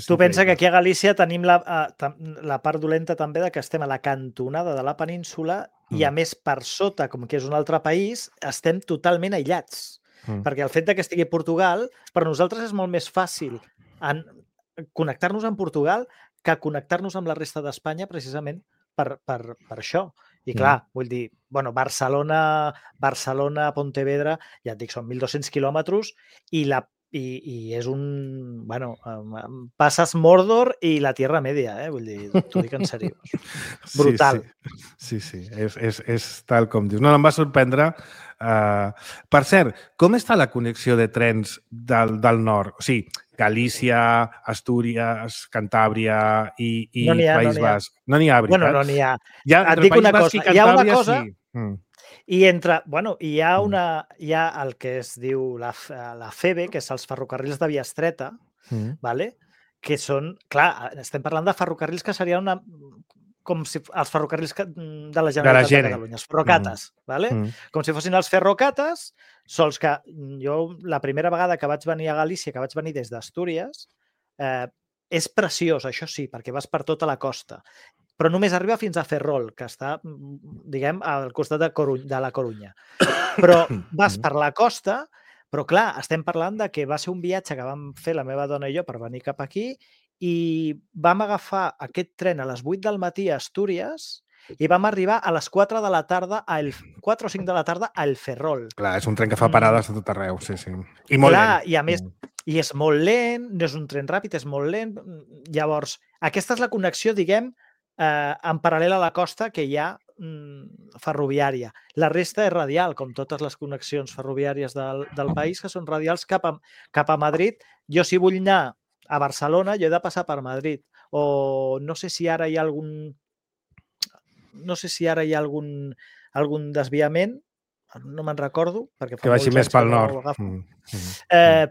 Tu pensa que aquí a Galícia tenim la part dolenta també de que estem a la cantonada de la península i, a més, per sota, com que és un altre país, estem totalment aïllats. Perquè el fet que estigui a Portugal, per nosaltres és molt més fàcil connectar-nos amb Portugal que connectar-nos amb la resta d'Espanya precisament per això. I clar, vull dir, bueno, Barcelona, Pontevedra, ja et dic, són 1.200 quilòmetres i la i és un... Bueno, passes Mordor i la Tierra Media, vull dir, t'ho dic en sèrio. Brutal. Sí. És tal com dius. No, em va sorprendre. Per cert, com està la connexió de trens del nord? O sigui, Galícia, Astúries, Cantàbria i País Basc. No n'hi ha, veritat? Bueno, no n'hi ha. Et dic una cosa. Hi ha una cosa... I hi ha el que es diu la FEBE, que és els ferrocarrils de via estreta, que són... Clar, estem parlant de ferrocarrils que serien com si els ferrocarrils de la Generalitat de Catalunya, els ferrocates, com si fossin els ferrocates, sols que jo la primera vegada que vaig venir a Galícia, que vaig venir des d'Astúries, és preciós, això sí, perquè vas per tota la costa, però només arriba fins a Ferrol, que està, diguem, al costat de la Corunya. Però vas per la costa, però clar, estem parlant de que va ser un viatge que vam fer la meva dona i jo per venir cap aquí i vam agafar aquest tren a les 8 del matí a Astúries i vam arribar a les 4 de la tarda, 4 o 5 de la tarda al Ferrol. Clar, és un tren que fa parades a tot arreu, sí. I molt lent. I a més, i és molt lent, no és un tren ràpid, és molt lent. Llavors, aquesta és la connexió, diguem, en paral·lel a la costa que hi ha ferroviària. La resta és radial, com totes les connexions ferroviàries del país, que són radials cap a Madrid. Jo, si vull anar a Barcelona, jo he de passar per Madrid. O no sé si ara hi ha algun desviament, no me'n recordo, perquè fa que vagi més pel nord.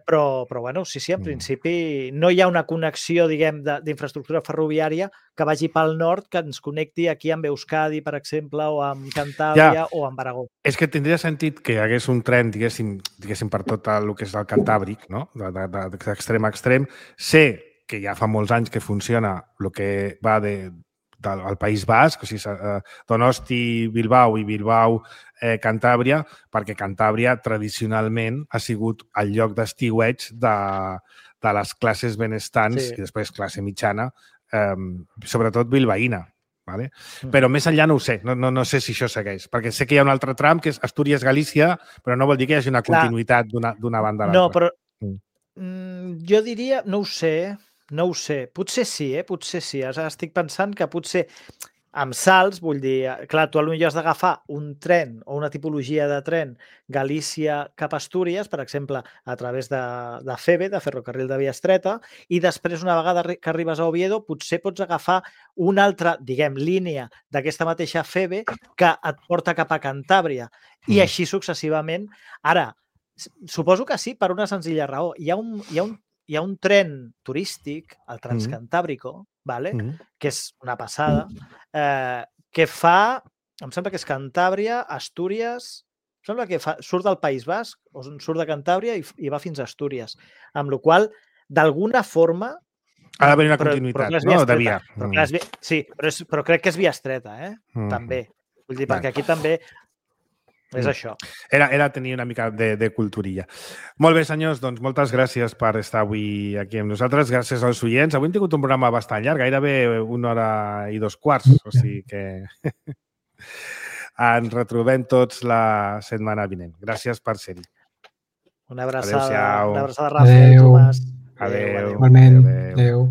Però bueno, sí, en principi no hi ha una connexió, diguem, d'infraestructura ferroviària que vagi pel nord, que ens connecti aquí amb Euskadi, per exemple, o amb Cantàbria o amb Aragó. És que tindria sentit que hi hagués un tren, diguéssim per tot el que és el Cantàbric, no? D'extrem a extrem. Sé que ja fa molts anys que funciona el que va del País Basc, o sigui, Donosti, Bilbao i Bilbao, Cantàbria, perquè Cantàbria tradicionalment ha sigut el lloc d'estiueig de les classes benestants i després classe mitjana, sobretot bilbaïna. Però més enllà no ho sé, no sé si això segueix, perquè sé que hi ha un altre tram que és Astúries-Galícia, però no vol dir que hi hagi una continuïtat d'una banda a l'altra. No, però jo diria, no ho sé, potser sí, potser sí. Estic pensant que potser amb salts, vull dir, clar, tu potser has d'agafar un tren o una tipologia de tren Galícia cap a Astúries, per exemple, a través de FEBE, de Ferrocarril de Via Estreta, i després, una vegada que arribes a Oviedo, potser pots agafar una altra, diguem, línia d'aquesta mateixa FEBE que et porta cap a Cantàbria, i així successivament. Ara, suposo que sí, per una senzilla raó. Hi ha un tren turístic, el Transcantàbrico, que és una passada, que fa, em sembla que és Cantàbria, Astúries, em sembla que surt del País Basc, o surt de Cantàbria i va fins a Astúries. Amb la qual cosa, d'alguna forma... Ha d'haver una continuïtat, no? De via. Sí, però crec que és via estreta, també. Vull dir, perquè aquí també... És això. Era tenir una mica de culturilla. Molt bé, senyors, doncs moltes gràcies per estar avui aquí amb nosaltres. Gràcies als oients. Avui hem tingut un programa bastant llarg, gairebé 1 hora i 2/4, o sigui que ens retrobem tots la setmana vinent. Gràcies per ser-hi. Una abraçada, Rafa, Tomàs. Adéu. Igualment. Adéu.